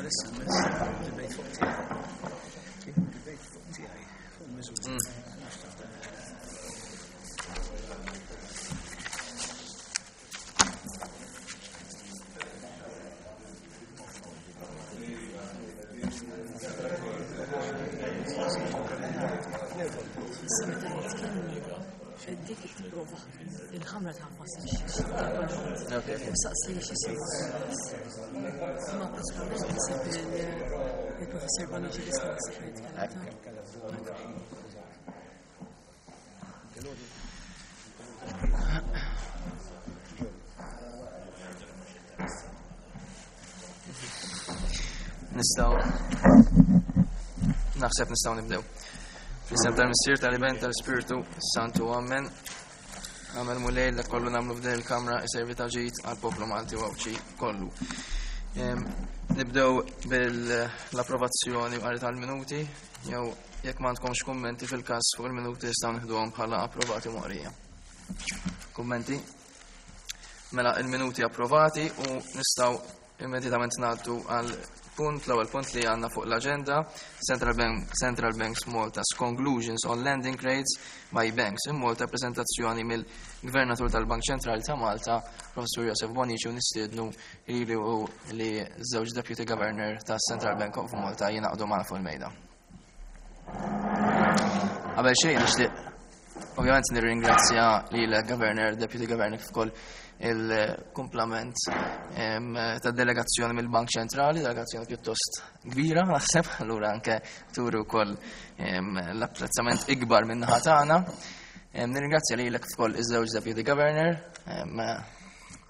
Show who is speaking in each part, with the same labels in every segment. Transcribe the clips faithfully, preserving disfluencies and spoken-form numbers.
Speaker 1: Bħalissa mess debate fuq tiegħi. Debate fuq tiegħi, fuq miżuri.
Speaker 2: Issa meta jitkellmu, dik tipprova il-ħamra tagħfas u saqsi x'isir. Ma possibilment naħseb il-professor Bonnici tista' naħseb jitkellem.
Speaker 3: Nistgħu naħseb nistgħu nibdew. Fl-isem tal-Missier, tal-Iben, tal-Spiritu Santu, Amen. Amen Mulej li kollu nagħmlu f'din il-kamra iservi ta' ġid għall-poplu Malti u Għawdxi kollu. Nibdew bil-approvazzjoni qari tal-minuti, jew jekk m'għandkomx kummenti fil-każ fuq il-minuti nistgħu nieħduhom bħala approvati moqrija. Kummenti? Mela il-minuti approvati u nistgħu immedjatament ngħaddu għal punt, l-ewwel punt li għandna fuq l-aġenda, Central Bank, Central Banks Malta's Conclusions on Lending Rates by Banks in Malta, prezentazzjoni mill-Gvernatur tal-Bank Ċentrali ta' Malta, Professur Josef Bonnici, u nistiednu li u li żewġ Deputy Governor ta' Central Bank of Malta jingħaqdu magħna fuq il-mejda. Qabel xejn nixtieq ovvjament nirringrazzja lil Governor, Deputy Governor kif ukoll il-kumplament ta' delegazzjoni mill-Bank Ċentrali, delegazzjoni pjuttost kbira, naħseb, allura anke turu wkoll l-apprezzament ikbar minn naħa tagħna. Nirringrazzja lilek kif ukoll iż-żewġ Deputy Governor,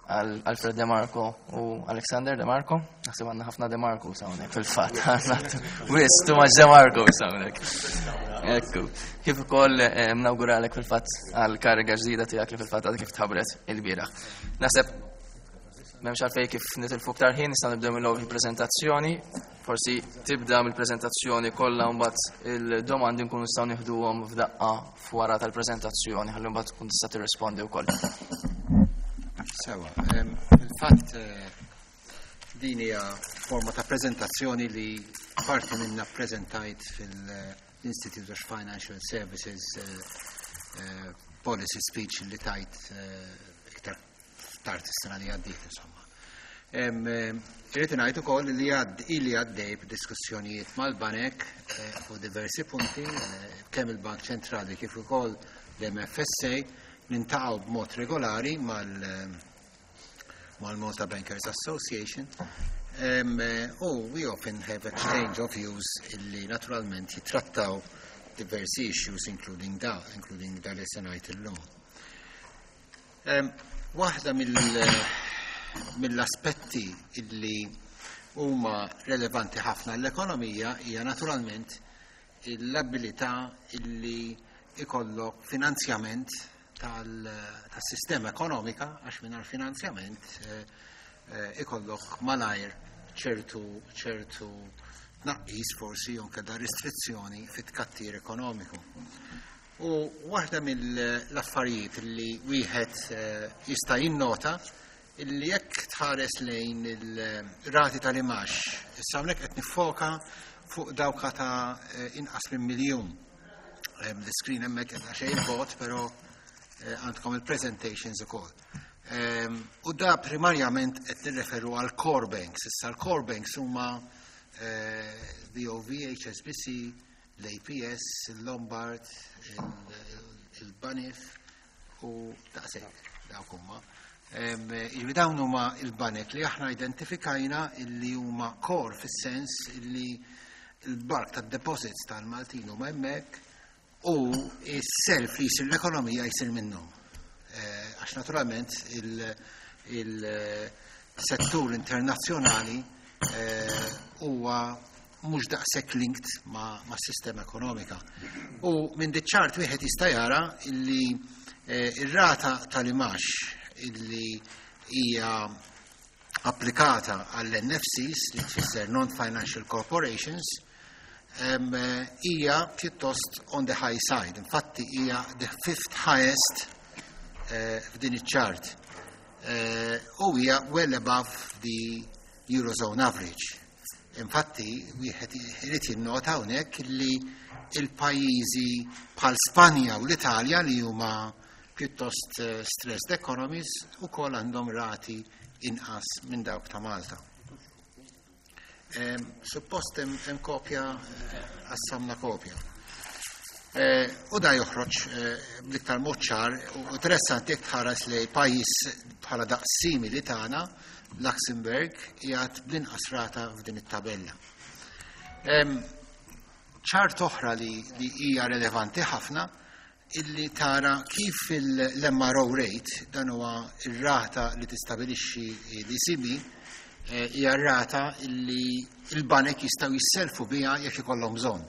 Speaker 3: Alfred De Marco u Alexander De Marco. Naħseb għandna ħafna De Marco hawnhekk fil-fatt. Wis, too much De Marco hawnhekk. Ekku. Kif ukoll nawguralek fil-fatt għal kariga ġdida tiegħek li fil-fatt għadha kif tħabbret il-bieraħ. Naħseb m'hemmx għalfejn kif nitilfu aktar ħin, nistgħu nibdew mill-ewwel il-preżentazzjoni. Forsi tibda mill-preżentazzjoni kollha mbagħad il-domandi nkunu nistgħu nieħduhom f'daqqa f'wara tal-preżentazzjoni ħalli mbagħad tkun tista' tirrispondi wkoll.
Speaker 4: Sewa, fil-fatt din hija forma ta' preżentazzjoni li parti minna preżentajt fil-Institute of Financial Services Policy Speech li tajt iktar tard is-sena li għaddiet, insomma. Irrid ngħid ukoll li ili għaddej b'diskussjonijiet mal-banek fuq diversi punti, kemm il-Bank Ċentrali kif ukoll l-M F S A, niltaqgħu b'mod regolari mal-Malta Bankers Association um, u we often have exchange of views illi naturalment jitrattaw diversi issues, including da, including da li se ngħid illum. Um, Waħda mill-aspetti illi huma relevanti ħafna l-ekonomija hija naturalment l-abilità illi ikollok finanzjament tas-sistema ekonomika, għax mingħajr finanzjament ikollok malajr ċertu ċertu tnaqqis forsi jew da restrizzjoni fit-tkattir ekonomiku. U waħda mill-affarijiet li wieħed jista' jinnota illi jekk tħares lejn il-rati tal-imgħax, issa hawnhekk qed niffoka fuq dawka ta' inqas minn miljun. L-screen hemmhekk qed xejn bot, però għandkom il-presentations ukoll. U da primarjament qed nirreferu għal core banks. Issa l-core banks huma B O V, H S B C, l-A P S, il-Lombard, il-Banif u daqshekk dawk huma. Jiġifieri dawn huma il-banek li aħna identifikajna illi huma core fis-sens illi il-bulk tad-deposits tal-Maltin huma hemmhekk u s-self li jsir l-ekonomija jsir minnhom. Għax naturalment il-settur internazzjonali huwa mhux daqshekk linked ma' sistema ekonomika. U minn diċ-ċart wieħed jista' jara illi ir-rata tal-imgħax illi hija applikata għall-N F Cs, li tfisser Non-Financial Corporations, hija pjuttost on the high side. Infatti hija the fifth highest f'din iċ-chart. U hija well above the Eurozone average. Infatti, wieħed irid jinnota hawnhekk li il-pajjiżi bħal Spanja u l-Italja, li huma pjuttost eh, stressed economies, ukoll għandhom rati inqas minn dawk ta' Malta. Suppost hemm kopja, eh, qassamna kopja. Eh, u da joħroġ bl-iktar mod ċar u interessanti jekk tħares li pajjiż bħala daqs simili tagħna, Luxembourg, qiegħed bl-inqas rata f'din it-tabella. Chart oħra li, li hija relevanti ħafna illi tara kif l-M R O rate, dan huwa ir-rata li tistabilixxi l-E C B, eh, hija rata illi il-banek jistgħu jisselfu biha jekk ikollhom bżonn.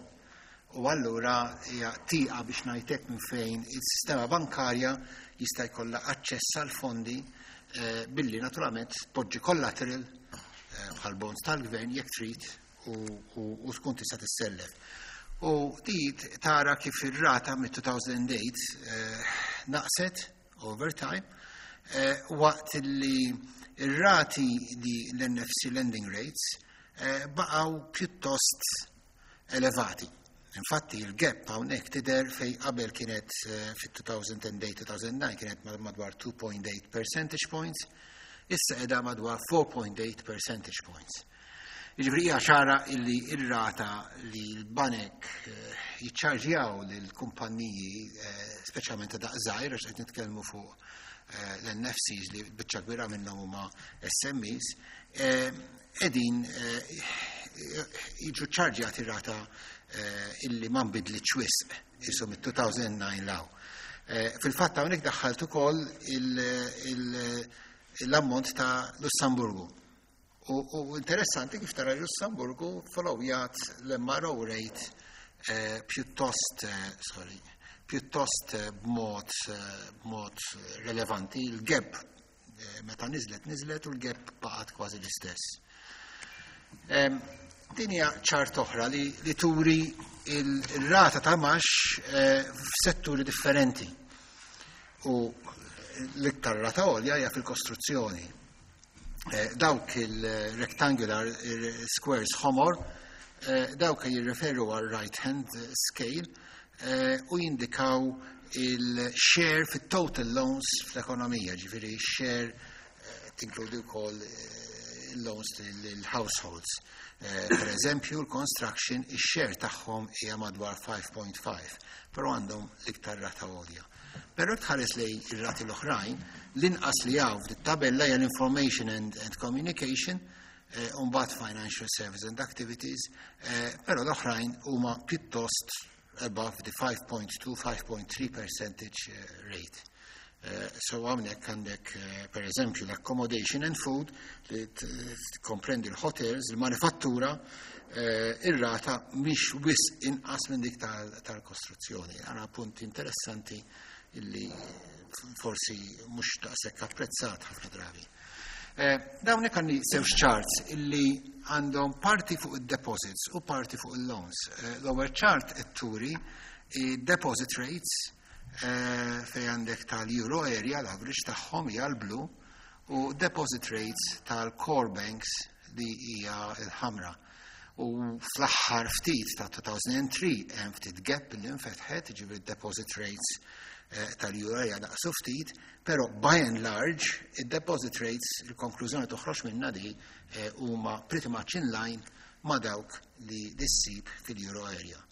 Speaker 4: U allura hija tieqa, biex ngħidlek, minn fejn il-sistema bankarja jista' jkollha aċċess għal fondi eh, billi naturalment tpoġġi collateral eh, bħal bonds tal-gvern jekk trid u tkun tista' tissellef. U di tara kif ir-rata mit-elfejn u tmienja eh, naqset over time, eh, waqt li ir-rati li l-N F C lending rates eh, baqgħu pjuttost elevati. Infatti il-gap hawnhekk tidher fej qabel kienet fit-elfejn u tmienja-elfejn u disgħa kienet madwar two point eight percentage points, issa qiegħda madwar four point eight percentage points. Jiġifieri hija ċara illi ir-rata li l-banek eh, jiċċarġjaw lill-kumpanniji, eh, speċjalment ta' daqs żgħir, għax qed nitkellmu fuq eh, l-N F Cs li biċċa kbira minnhom huma S M Es, qegħdin jiġu ċarġjati rata illi ma nbidlitx wisq isu mit-elfejn u disgħa 'l hawn. Fil-fatt hawnhekk daħħalt ukoll l-ammont ta' Lussemburgu. U interessanti kif tara Lussemburgu followjat l-M R O rate eh, pjuttost, eh, sorry, pjuttost eh, b'mod b'mod relevanti. Il-gap meta niżlet niżlet u l-gap baqgħet kważi l-istess. Din hija chart oħra li, li turi il-rata ta' imgħax f'setturi differenti. U l-iktar rata għolja hija fil-kostruzzjoni. Eh, dawk il-rectangular squares ħomor, eh, dawk jirreferu għal right hand scale eh, u jindikaw il-share fit-total loans fl-ekonomija, ġifieri share tinkludi wkoll loans l-households. Per eżempju, l-construction, il-share tagħhom hija madwar five point five, però għandhom l-iktar rata għolja. Però tħares lej ir-rati l-oħrajn, l-inqas li hawn f'dit-tabella hija l-information and, and communication, eh, mbagħad financial services and activities, eh, però l-oħrajn huma pjuttost above the five point two, five point three percentage eh, rate. Uh, so hawnhekk għandek uh, per eżempju l-accommodation and food li komprendi l-hotels, il-manifattura, uh, ir-rata mhix wisq inqas minn dik tal-kostruzzjoni. Għara punt interessanti illi forsi mhux daqshekk apprezzat ħafna drabi. Eh, Dawn għandi żewġ charts illi għandhom parti fuq il-deposits u parti fuq il-loans. Eh, l-ewwel chart qed turi deposit rates eh, fej għandek tal-euro area, l-average tagħhom hija l-blu, u deposit rates tal-core banks li hija l-ħamra. U fl-aħħar ftit ta' elfejn u tlieta hemm ftit gap li nfetħet, ġifieri deposit rates eh, tal-euro area naqsu ftit, però by and large id-deposit rates, il-konklużjoni toħroġ minna di, eh, huma pretty much in line ma' dawk li ssib fil-euro area.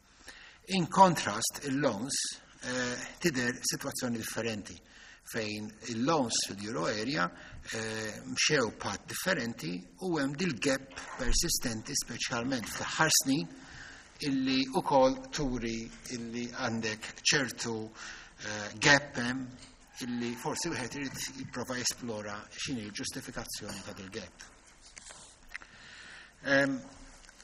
Speaker 4: In contrast, il-loans eh, tidher situazzjoni differenti fejn il-loans fil-euro area eh, mxew path differenti u hemm dil-gap persistenti, speċjalment fl-aħħar snin, illi ukoll turi illi għandek ċertu eh, gap hemm illi forsi wieħed irid jipprova jesplora x'inhi l-ġustifikazzjoni ta' dil-gap. Em,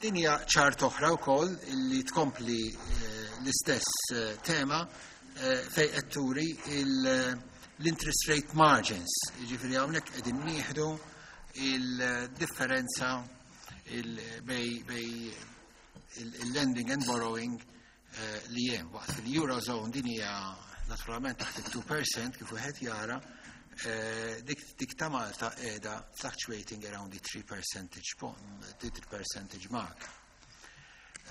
Speaker 4: Din hija chart oħra wkoll illi tkompli eh, l-istess eh, tema eh, fej qed turi il- l-interest rate margins. Jiġifieri hawnhekk qegħdin nieħdu il-differenza il bej bej il-lending and borrowing eh, li hemm. Waqt fil-Eurozone din hija naturalment taħt il-two percent, kif wieħed jara, Eh, dik, dik ta' Malta qiegħda fluctuating around the three percentage point, the three percentage mark.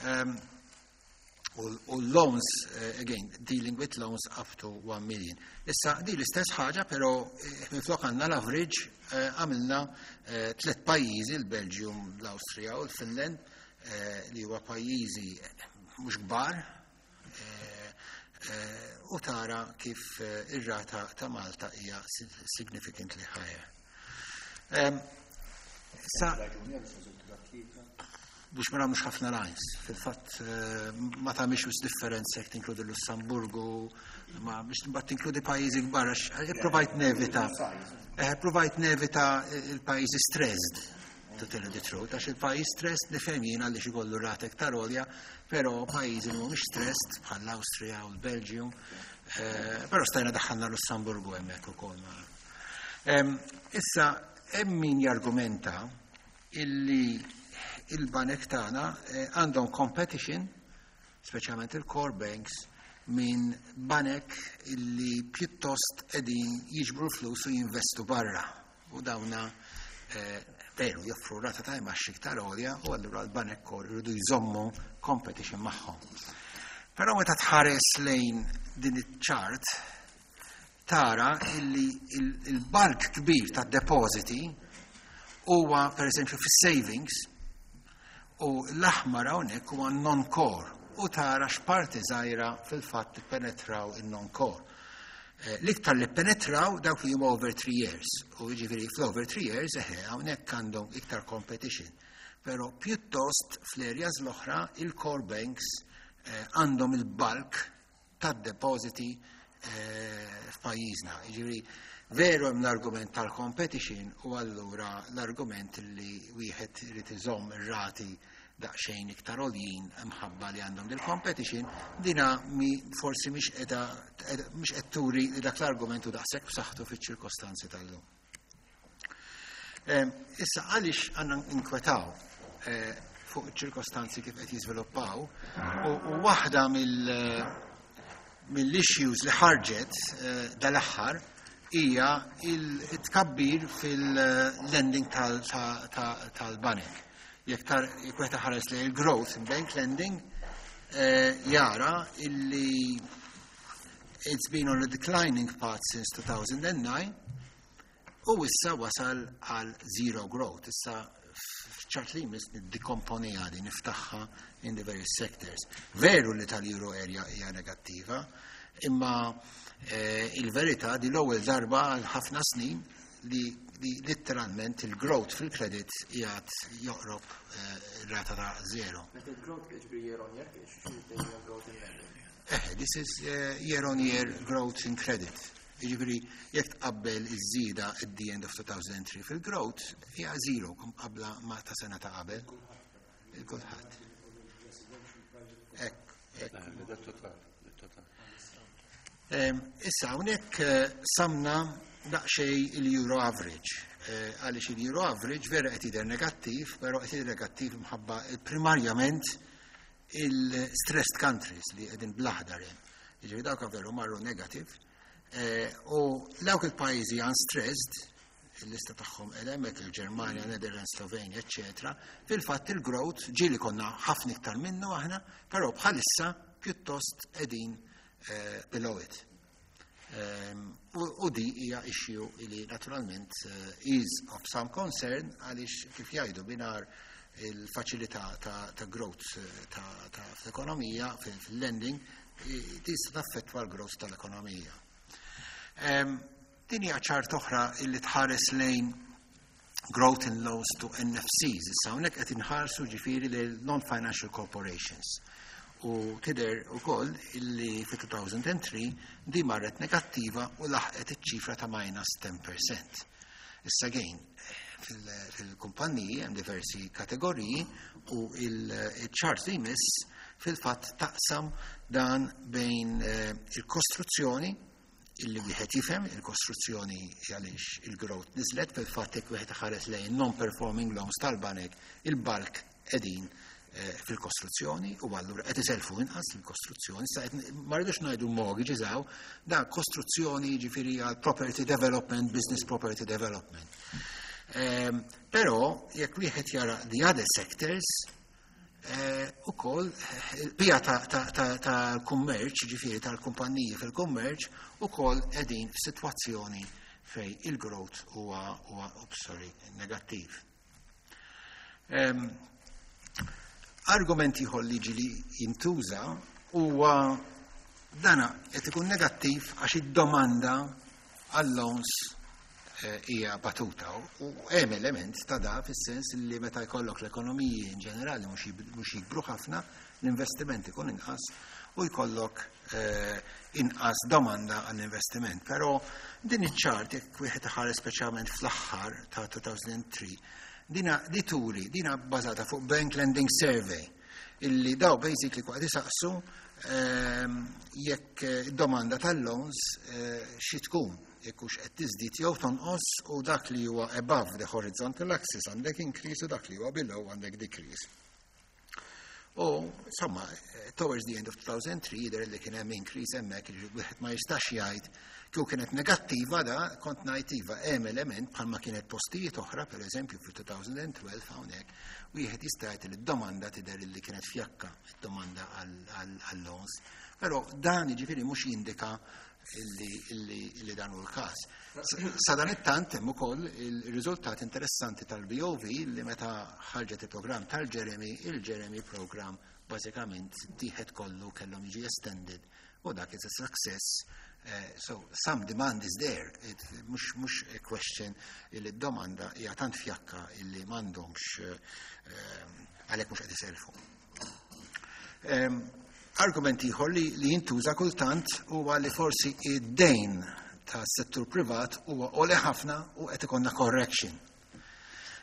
Speaker 4: Um, u u loans, uh, again, dealing with loans up to one million. Issa, di l-istess ħaġa, pero eh, minflok għandna l-average, eh, għamilna eh, tlet pajjiżi, il-Belgium, l-Austria u l-Finland, eh, li huwa pajjiżi mhux kbar, eh, eh, u tara kif eh, ir-rata ta' Malta hija significantly higher. Em, Issa, biex ma nagħmlux ħafna lines. Fil-fatt eh, ma tagħmilx wis differenza jekk tinkludi Lussamburgu, ma biex mbagħad tinkludi pajjiżi kbar għax eh, provajt nevita. Eh, provajt nevita il-pajjiżi stressed, to tell you the truth, għax il-pajjiż stressed nifhem jiena li ikollu rata iktar għolja, però pajjiżi li mhumiex stressed bħal l-Awstrija u l-Belġium, eh, però stajna daħħalna Lussamburgu hemmhekk ukoll. Em, Issa, hemm min jargumenta illi il-banek tagħna eh, għandhom competition, speċjalment il-core banks, minn banek illi pjuttost qegħdin jiġbru flus u jinvestu barra. U dawna eh, veru joffru rata ta' imgħax iktar għolja u allura l-banek core jridu jżommu competition magħhom. Però meta tħares lejn din iċ-chart tara illi il-bulk kbir ta' depositi huwa per eżempju fis-savings u l-aħmar hawnhekk huwa non-core u tara x'parti żgħira fil-fatt penetraw il-non-core. Eh, L-iktar li penetraw dawk li huma over three years u jiġifieri fl-over three years eħe hawnhekk għandhom iktar competition. Però pjuttost fl-areas l-oħra il-core banks eh, għandhom il-bulk tad-depositi eh, f'pajjiżna. Jiġifieri veru hemm l-argument tal-competition u allura l-argument li wieħed irid iżomm ir-rati daqsxejn iktar għoljin mħabba li għandhom dil-competition, dina mi forsi mhix qiegħda mhix qed turi li dak l-argument hu daqshekk b'saħħtu fiċ-ċirkostanzi tal-lum. Em, Issa għaliex għandna inkwetaw eh, fuq iċ-ċirkostanzi kif qed jiżviluppaw u u waħda mill mill-issues li ħarġet eh, dal-aħħar hija il-tkabbir fil-lending tal-banek. Jekk tar jekk wieħed ħares li il-growth in bank lending eh, jara illi it's been on a declining path since two thousand nine u issa wasal għal zero growth. Issa f'chart li jmiss niddekomponiha di niftaħha in the various sectors. Veru li tal-euro area hija negattiva, imma eh, il-verità di l-ewwel darba għal ħafna snin li, li letteralment il-growth fil-credit qiegħed joqrob eh, rata ta' zero.
Speaker 3: Meta growth jiġri year on year, kiex growth in lending?
Speaker 4: Eh, this is uh, year on year growth in credit. Jiġifieri, jekk tqabbel iż-żieda at the end of two thousand three fil-growth, hija zero qabla ma ta' sena ta' qabel. Il-kulħadd. Ekk, ekk. Em, Issa, hawnhekk eh, samna daqsxejn il-euro average. Eh, Għaliex il-euro average vera qed jidher negattiv, però qed jidher negattiv mħabba primarjament il-stressed countries li qegħdin bl-aħdar hemm. Jiġifieri dawk veru marru negative. Eh, U dawk il-pajjiżi unstressed, il-lista tagħhom hemmhekk, il-Ġermanja, Netherlands, Slovenia, eccetera. Fil-fatt il-growth ġieli konna ħafna iktar minnu aħna, però bħalissa pjuttost qegħdin eh, below it. Um, u, u di hija issue li naturalment uh, is of some concern għaliex kif jgħidu binar il-faċilità ta', ta' growth eh, ta', ta' fl-ekonomija, fil-lending, tista' taffettwa l-growth tal-ekonomija. Um, din hija chart oħra illi tħares lejn growth in loans to N F Cs. Issa hawnhekk qed inħarsu ġifieri lil non-financial corporations. U tidher ukoll illi fi two thousand three di marret negattiva u laħqet iċ-ċifra ta' minus ten percent. Issa again, fil-kumpanniji hemm diversi kategoriji u il-chart li jmiss fil-fatt taqsam dan bejn eh, il-kostruzzjoni, illi wieħed jifhem il-kostruzzjoni għaliex il-growth niżlet. Fil-fatt jekk wieħed ħares lejn non-performing loans tal-banek, il-bulk qegħdin eh, fil-kostruzzjoni u allura qed iselfu inqas il-kostruzzjoni. Sa ma rridux ngħidu mortgages hawn, da kostruzzjoni, ġifieri għal property development, business property development. Um, però jekk wieħed jara the other sectors, eh, ukoll il-bija tal-kummerċ, ġifieri tal-kumpanniji fil-kummerċ, ukoll qegħdin f'sitwazzjoni fej il-growth huwa huwa sorry, negattiv. Um, argument ieħor li ġili jintuża huwa dana qed ikun negattiv għax id-domanda għall-loans eh, hija batuta, u hemm element ta' da fis-sens li meta jkollok l-ekonomiji in ġenerali mhux jikbru ħafna, l-investiment ikun inqas u jkollok eh, inqas domanda għall-investiment. Però din iċ-chart, jekk wieħed iħares speċjalment fl-aħħar ta' elfejn u tlieta, dina di turi, dina bbażata fuq Bank Lending Survey, illi daw basically kwa isaqsu ehm, jekk id-domanda tal-loans eh, xi tkun, jekk hux qed tiżdied jew tonqos, u dak li huwa above the horizontal axis għandek increase u dak li huwa below għandek decrease. U, insomma, towards the end of two thousand three jidher li kien hemm increase hemmhekk, li wieħed ma jistax jgħid kieku kienet negattiva da kont ngħid iva, hemm element, bħalma kienet postijiet oħra, pereżempju fil-elfejn u tnax hawnhekk, wieħed jista' jgħid li d-domanda tidher li kienet fjakka, id-domanda għall-loans. Però dan jiġifieri mhux jindika illi, illi, illi dan hu l-każ. Sa dan it-tant hemm ukoll il-riżultat interessanti tal-B O V li meta ħarġet il-programm tal-Jeremy, il-Jeremy program bażikament tieħed kollu, kellhom jiġi extended u dak is a success. Uh, so some demand is there. It, mhux mhux a question illi d-domanda hija tant fjakka illi m'għandhomx uh, għalhekk mhux qed iselfu. Um, argument ieħor li, li jintuża kultant huwa li forsi id-dejn tas settur privat huwa għoli ħafna u qed ikollna correction.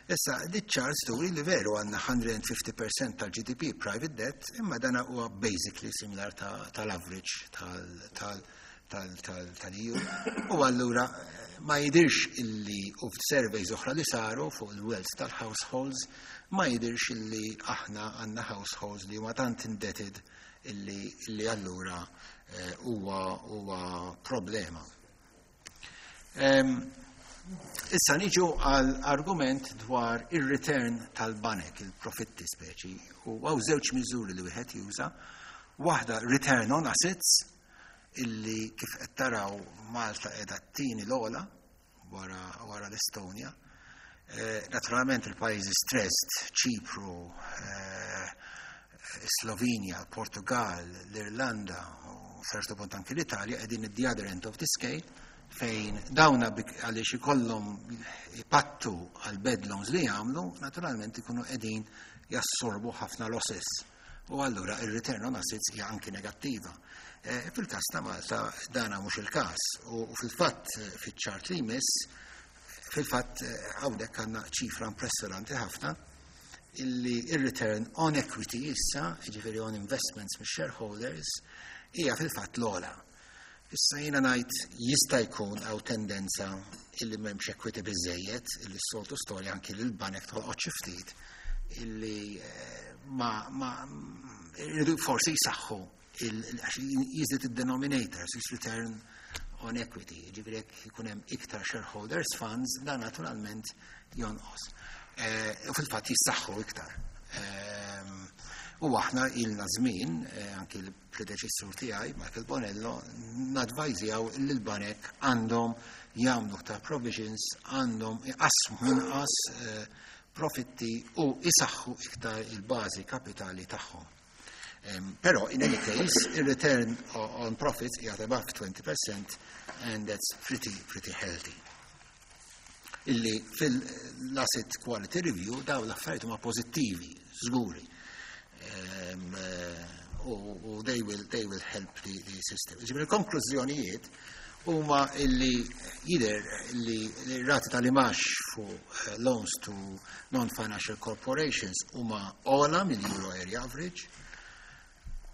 Speaker 4: Issa, di chart turi li veru għandna mija u ħamsin fil-mija tal-G D P private debt, imma dana huwa basically similar tal-average tal-E U. U allura ma jidirx illi, u surveys oħra li saru fuq il-wealth tal-households, ma jidirx illi aħna għandna households li huma tant indebted illi, illi allura huwa huwa problema. Um, Issa niġu għal argument dwar il-return tal-banek, il-profitti speċi, u hawn żewġ miżuri li wieħed juża. Waħda return on assets, illi kif qed taraw Malta qiegħda t-tieni l-ogħla wara, wara l-Estonja. Eh, naturalment il-pajjiżi stressed, Ċipru, eh, Slovenja, Portugal, l-Irlanda u ċertu punt anki l-Italja qegħdin the other end of the scale, fejn dawna għaliex ikollhom ipattu għal bad loans li jagħmlu, naturalment ikunu qegħdin jassorbu ħafna losses. U allura il-return on assets hija anki negattiva. E, Fil-każ ta' Malta dana mhux il-każ u fil-fatt fiċ-chart li jmiss, fil-fatt hawnhekk għandna ċifra impressjonanti ħafna illi il-return on equity issa, jiġifieri on investments mix shareholders, hija fil-fatt l-ogħla. Issa jiena ngħid jista' jkun hawn tendenza illi m'hemmx equity biżejjed, illi s-soltu storja anki li l-banek tolqot xi ftit illi ma, ma irridu forsi jisaxħu għax jiżdied id-denominator, is return on equity, ġifieri jekk ikun hemm iktar shareholders funds, dan naturalment jonqos. U fil-fatt jissaħħu iktar. U aħna ilna żmien, anki l-predeċessur tiegħi, Michael Bonello, nadvajzjaw li l-banek għandhom jagħmlu ta' provisions, għandhom iqasmu inqas profitti u isaħħu iktar il-bażi kapitali tagħhom. Um, però in any case, il-return on profits hija above twenty percent and that's pretty, pretty healthy. Illi fil-asset quality review daw l-affarijiet huma pożittivi, żguri. Um, uh, u they will, they will help the, the system. Ġifieri konklużjonijiet huma illi jidher li rati tal-imgħax fuq loans to non-financial corporations huma ogħla mill-Euro Area Average.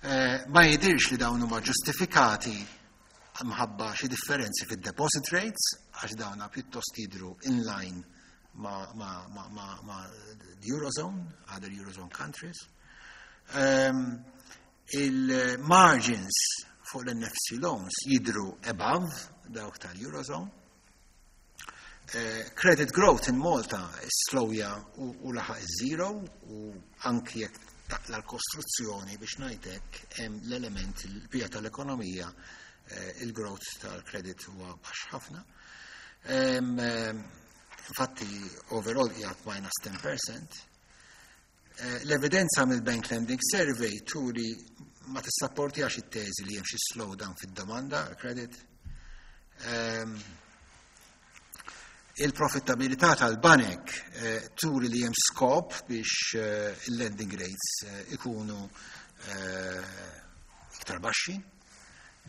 Speaker 4: Eh, ma jidirx li dawn huma ġustifikati mħabba xi differenzi fid-deposit rates, għax dawna pjuttost jidru in line ma, ma, ma, ma, ma the Eurozone, other Eurozone countries. Um, il-margins fuq l-N F C loans jidru above dawk tal-Eurozone. Uh, credit growth in Malta slowja u, u laħaq zero u anki jekk taqla l-kostruzzjoni, biex ngħidlek, hemm l-element il-bija tal-ekonomija, eh, il-growth tal-credit huwa baxx ħafna. Em, em, Infatti, overall qiegħed minus ten percent. Eh, L-evidenza mill-Bank Lending Survey turi ma tissapportjax it-teżi li hemm xi slowdown fid-domanda credit. Em, Il-profittabilità tal-banek eh, turi li hemm skop biex eh, il-lending rates eh, ikunu eh, iktar baxxi.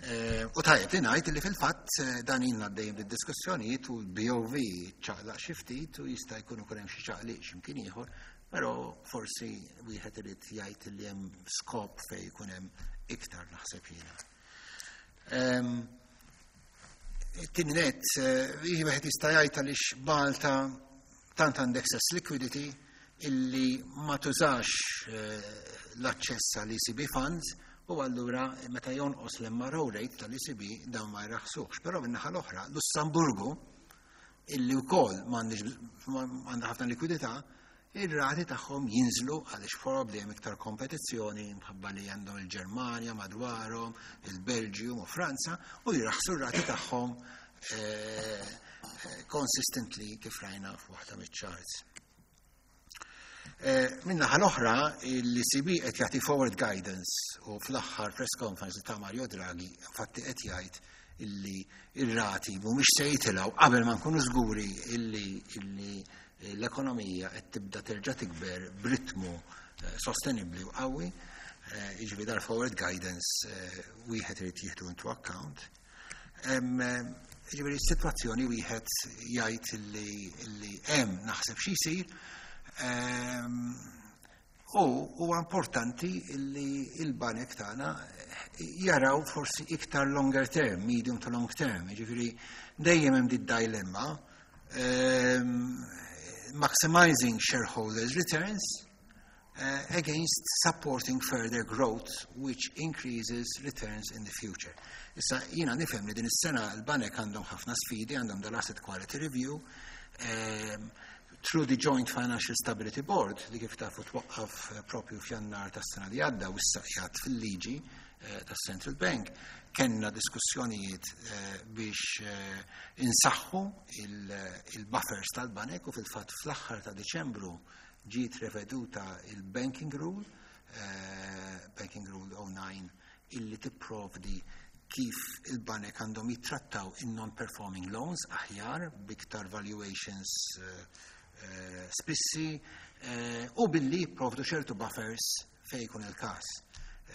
Speaker 4: Eh, U tajjeb li ngħid li fil-fatt eh, dan ilna għaddejjem bid-diskussjonijiet u l-B O V ċaqlaq xi ftit u jista' jkun ukoll hemm xi ċaqliq x'imkien ieħor, però forsi wieħed irid jgħid li hemm skop fejn jkun hemm iktar, naħseb jiena. Em, Tieni net, eh, wieħed jista' jgħid għaliex Malta tant għandek excess liquidity illi ma tużax eh, l-aċċess għall E C B funds u allura meta jonqos l-M R O rate tal-E C B dawn ma jraħsuhx. Però min-naħa l-oħra, Lussemburgu, illi wkoll m'għandix għandha ħafna likwidità, ir-rati tagħhom jinżlu għaliex probabbli hemm iktar kompetizzjoni mħabba li għandhom il-Ġermanja madwarhom, il-Belġium u Franza, u jraħsu r-rati tagħhom eh, eh, consistently kif rajna f'waħda miċ-charts. Eh, Min-naħa l-oħra, l-E C B qed jagħti forward guidance u fl-aħħar press conference ta' Mario Draghi infatti qed jgħid illi ir-rati mhumiex se jitilgħu qabel ma nkunu żguri illi illi l-ekonomija qed tibda terġa' tikber b'ritmu eh, sostenibbli u qawwi, eh, jiġifieri dar forward guidance eh, wieħed irid jieħdu into account. Em, eh, Jiġifieri s-sitwazzjoni wieħed jgħid illi illi hemm naħseb xi jsir. Ehm, U huwa importanti illi il-banek tagħna jaraw forsi iktar longer term, medium to long term, jiġifieri dejjem hemm dit dilemma ehm, maximizing shareholders' returns uh, against supporting further growth which increases returns in the future. Issa jiena nifhem li din is-sena l-banek għandhom ħafna sfidi, għandhom dal-asset quality review, um, through the Joint Financial Stability Board, li kif tafu twaqqaf eh, propju f'Jannar tas-sena li għadda u issa qiegħed fil-liġi eh, tas-Central Bank, kellna diskussjonijiet eh, biex eh, insaħħu il-buffers tal-banek u fil-fatt fl-aħħar ta' Deċembru ġiet reveduta il-Banking Rule, eh, Banking Rule zero nine, illi tipprovdi kif il-banek għandhom jittrattaw in-non-performing loans aħjar biktar valuations eh, eh, spissi eh, u billi jipprovdu ċertu buffers fej jkun il-każ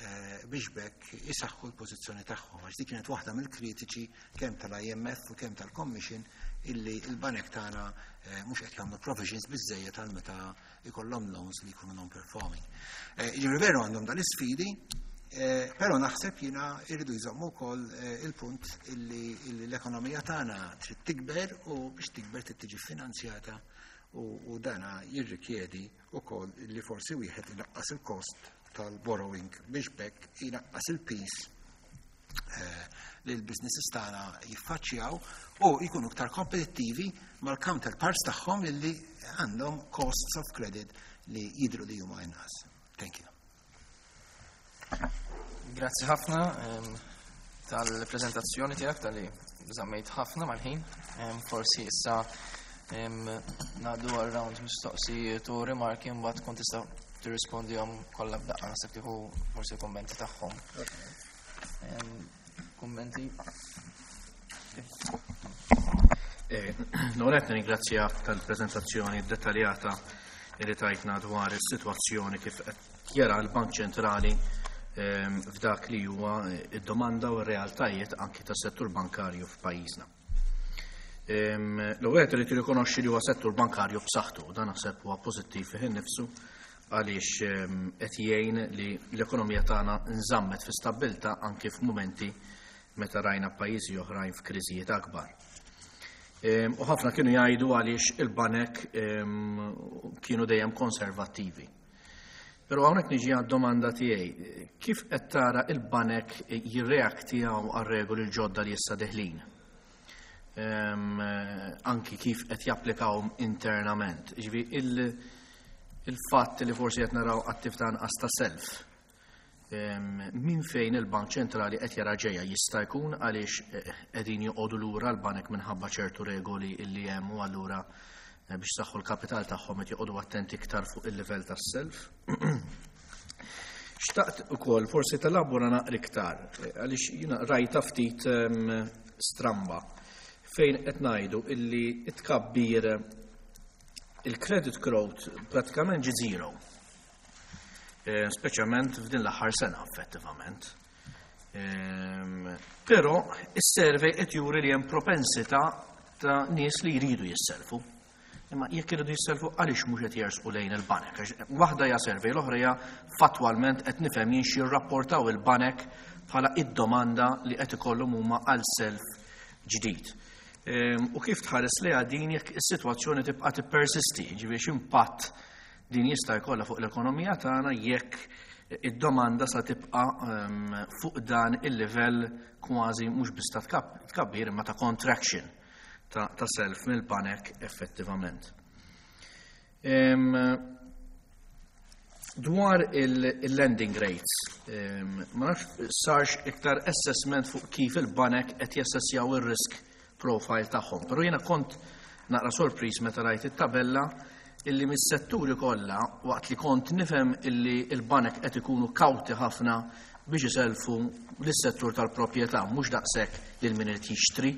Speaker 4: eh, biex bekk isaħħu l-pożizzjoni tagħhom. Għax dik kienet waħda mill-kritiċi kemm tal-I M F u kemm tal-Commission illi il-banek tagħna eh, mhux qed jagħmlu provisions biżejjed għal meta ikollhom loans li jkunu non-performing. Eh, Jiġifieri veru għandhom dal-isfidi, eh, però naħseb jiena irridu jżommu wkoll eh, il-punt illi illi l-ekonomija tagħna trid tikber u biex tikber trid tiġi finanzjata u, u dana jirrikjedi wkoll li forsi wieħed inaqqas il-kost tal-borrowing biex bekk inaqqas il-piż eh, li l-businesses tagħna jiffaċċjaw u jkunu iktar kompetittivi mal-counterparts tagħhom li għandhom costs of credit li jidru li huma inqas. Thank you.
Speaker 3: Grazzi ħafna em, tal-prezentazzjoni tiegħek, tal-li żammejt ħafna mal-ħin. Em, Forsi issa em, ngħaddu għal round mistoqsijiet u rimarki, mbagħad tkun tista' tirrispondihom kollha f'daqqa, naħseb tieħu forsi kummenti tagħhom. Em, Kummenti?
Speaker 5: Eh, Noret nirringrazzjak tal-prezentazzjoni dettaljata li tajtna dwar is-sitwazzjoni kif qed jara l-Bank Ċentrali ehm, f'dak li huwa id-domanda u r-realtajiet anki tas-settur bankarju f'pajjiżna. Ehm, L-ewwel qed irid jirrikonoxxi li huwa settur bankarju b'saħħtu, u dan naħseb huwa pożittiv fih innifsu għaliex ehm, qed jgħin li l-ekonomija tagħna nżammet fi stabbiltà anki f'mumenti meta rajna pajjiżi oħrajn f'kriżijiet akbar. Ehm, U ħafna kienu jgħidu għaliex il-banek ehm, kienu dejjem konservattivi. Però hawnhekk niġi għad-domanda tiegħi. Kif qed tara il-banek jirreaktjaw għar-regoli l-ġodda li issa deħlin? Anki kif qed japplikawhom internament. Ġifieri il-fatt li forsi qed naraw attività anqas ta' self. Min fejn il-Bank Ċentrali qed jara ġejja jista' jkun għaliex qegħdin joqogħdu lura l-banek minħabba ċertu regoli illi hemm u allura biex saħħu l-kapital tagħhom qed joqogħdu attenti iktar fuq il-livell tas-self. Xtaqt ukoll forsi telabora naqra iktar għaliex jiena rajta ftit stramba fejn qed ngħidu illi t-tkabbir il-credit growth pratikament ġi zero. Speċjalment f'din l-aħħar sena effettivament. Però is-survey qed juri li hemm propensità ta' nies li jridu jisselfu. Imma jekk iridu jisselfu għaliex mhux qed jersqu lejn il-banek. Waħda hija survey, l-oħra hija fattwalment qed nifhem jien xi jirrapportaw il-banek bħala id-domanda li qed ikollhom huma għal self ġdid. U kif tħares lejha din jekk is-sitwazzjoni tibqa' tippersisti, ġifieri x'impatt din jista' jkollha fuq l-ekonomija tagħna jekk id-domanda sa tibqa' fuq dan il-livell kważi mhux biss ta' tkabbir imma ta' contraction ta' self mill-banek effettivament. Dwar il-lending rates, ma nafx sarx iktar assessment fuq kif il-banek qed jassessjaw ir-risk profile tagħhom, però jiena kont naqra sorpriż meta rajt it-tabella illi mis-setturi kollha waqt li kont nifhem illi il-banek qed ikunu kawti ħafna biex iselfu lis-settur tal-proprjetà, mhux daqshekk lil min irid jixtri,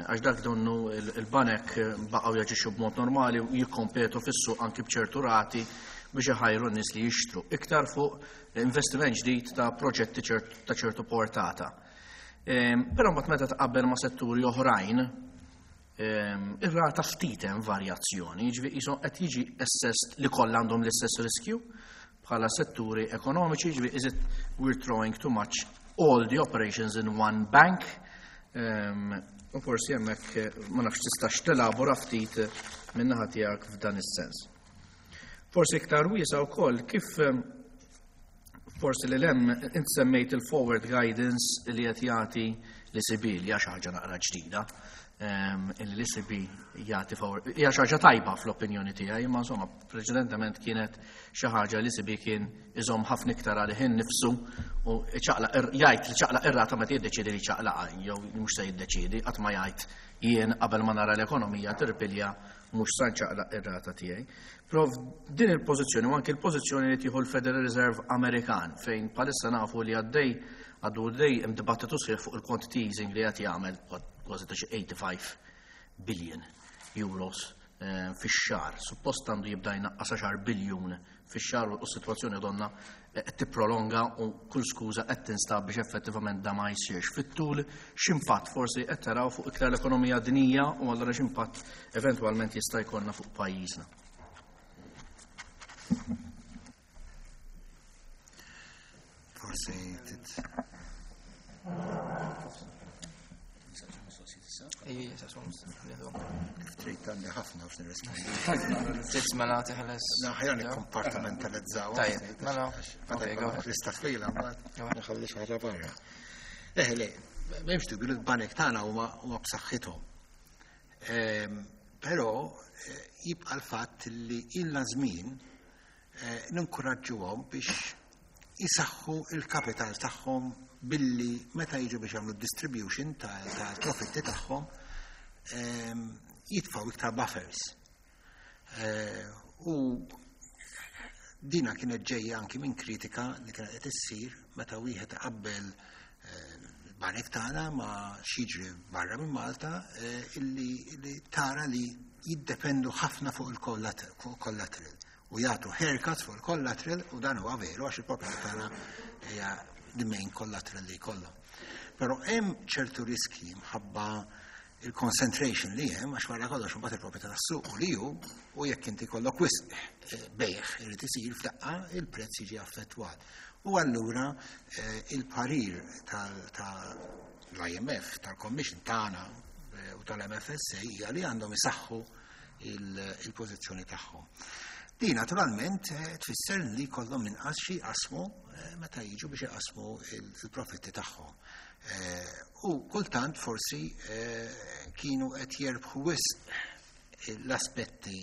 Speaker 5: għax dak donnu il-banek baqgħu jaġixxu b'mod normali u jikkompetu fis-suq anki b'ċertu rati biex iħajru n-nies li jixtru, iktar fuq investiment ġdid ta' proġetti ta' ċertu portata. Però mbagħad meta tqabbel ma' setturi oħrajn, ir-rata ftit hemm varjazzjoni, jiġifieri qishom qed jiġi assessed li kollha għandhom l-istess riskju bħala setturi ekonomiċi, jiġifieri is it we're throwing too much all the operations in one bank? U forsi hemmhekk ma nafx tistax telabora ftit min-naħa tiegħek f'dan is-sens. Forsi iktar wiesa' wkoll kif forsi li lem int semmejt il-forward guidance li qed jagħti l-E C B, li hija xi ħaġa naqra ġdida. Illi l-E C B jagħti forward, hija xi ħaġa tajba fl-opinjoni tiegħi, imma insomma preċedentement kienet xi ħaġa li l-E C B kien iżomm ħafna iktar għalih innifsu u jgħid li ċaqlaq ir-rata meta jiddeċiedi li ċaqlaqa jew mhux se jiddeċiedi, qatt ma jgħid jien qabel ma nara l-ekonomija tirpilja mhux sa nċaqlaq ir-rata tiegħi. Però din il-pożizzjoni u anke l-pożizzjoni li tieħu l-Federal Reserve Amerikan fejn bħalissa nafu li għaddej għaddu għaddej hemm dibattitu sħiħ fuq il-quantity easing li qed jagħmel kważi ta' xi eighty-five billion euros fix-xahar. Suppost għandu jibda jnaqqas għaxar biljun fix-xahar u s-sitwazzjoni donna qed tipprolonga u kull skuża qed tinstab biex effettivament da ma jsirx. Fit-tul x'impatt forsi qed taraw fuq iktar l-ekonomija dinjija u allura x'impatt eventwalment jista' jkollna fuq pajjiżna.
Speaker 4: Forsi tit. Kif trid għandi ħafna biex nirrispondi.
Speaker 3: Trid mela teħles.
Speaker 4: Na, ħajja nikkompartamentalizzaw.
Speaker 3: Tajjeb, mela.
Speaker 4: Okay, go ahead. Lista twila mbagħad nħalli xi ħaġa barra. Eh, le, m'hemmx dubju li l-banek tagħna huma huma b'saħħithom. Però jibqa' l-fatt li ilna żmien ninkoraġġuhom biex jisaħħu il-kapital tagħhom billi meta jiġu biex jagħmlu distribution tal-profitti tagħhom jitfgħu iktar buffers. U dina kienet ġejja anki minn kritika li kienet qed issir meta wieħed iqabbel il-banek tagħna ma' xi barra minn Malta illi tara li jiddependu ħafna fuq il-collateral u jagħtu haircuts fuq il-collateral u dan huwa veru għax il-proprjetà tagħna hija the main collateral li jkollhom. Però hemm ċertu riski mħabba il-concentration li hemm għax wara kollox imbagħad il-proprjetà tas-suq u li hu u jekk inti kollok wisq bejgħ irid isir f'daqqa il-prezz jiġi affettwat. U allura il-parir tal-I M F, tal-Commission tagħna u tal-M F S A hija li għandhom isaħħu il-pożizzjoni tagħhom. Di naturalment eh, tfisser li kollhom inqas xi jqasmu eh, meta jiġu biex jqasmu il-profitti tagħhom. Eh, u kultant forsi kienu qed jerbħu wisq l-aspetti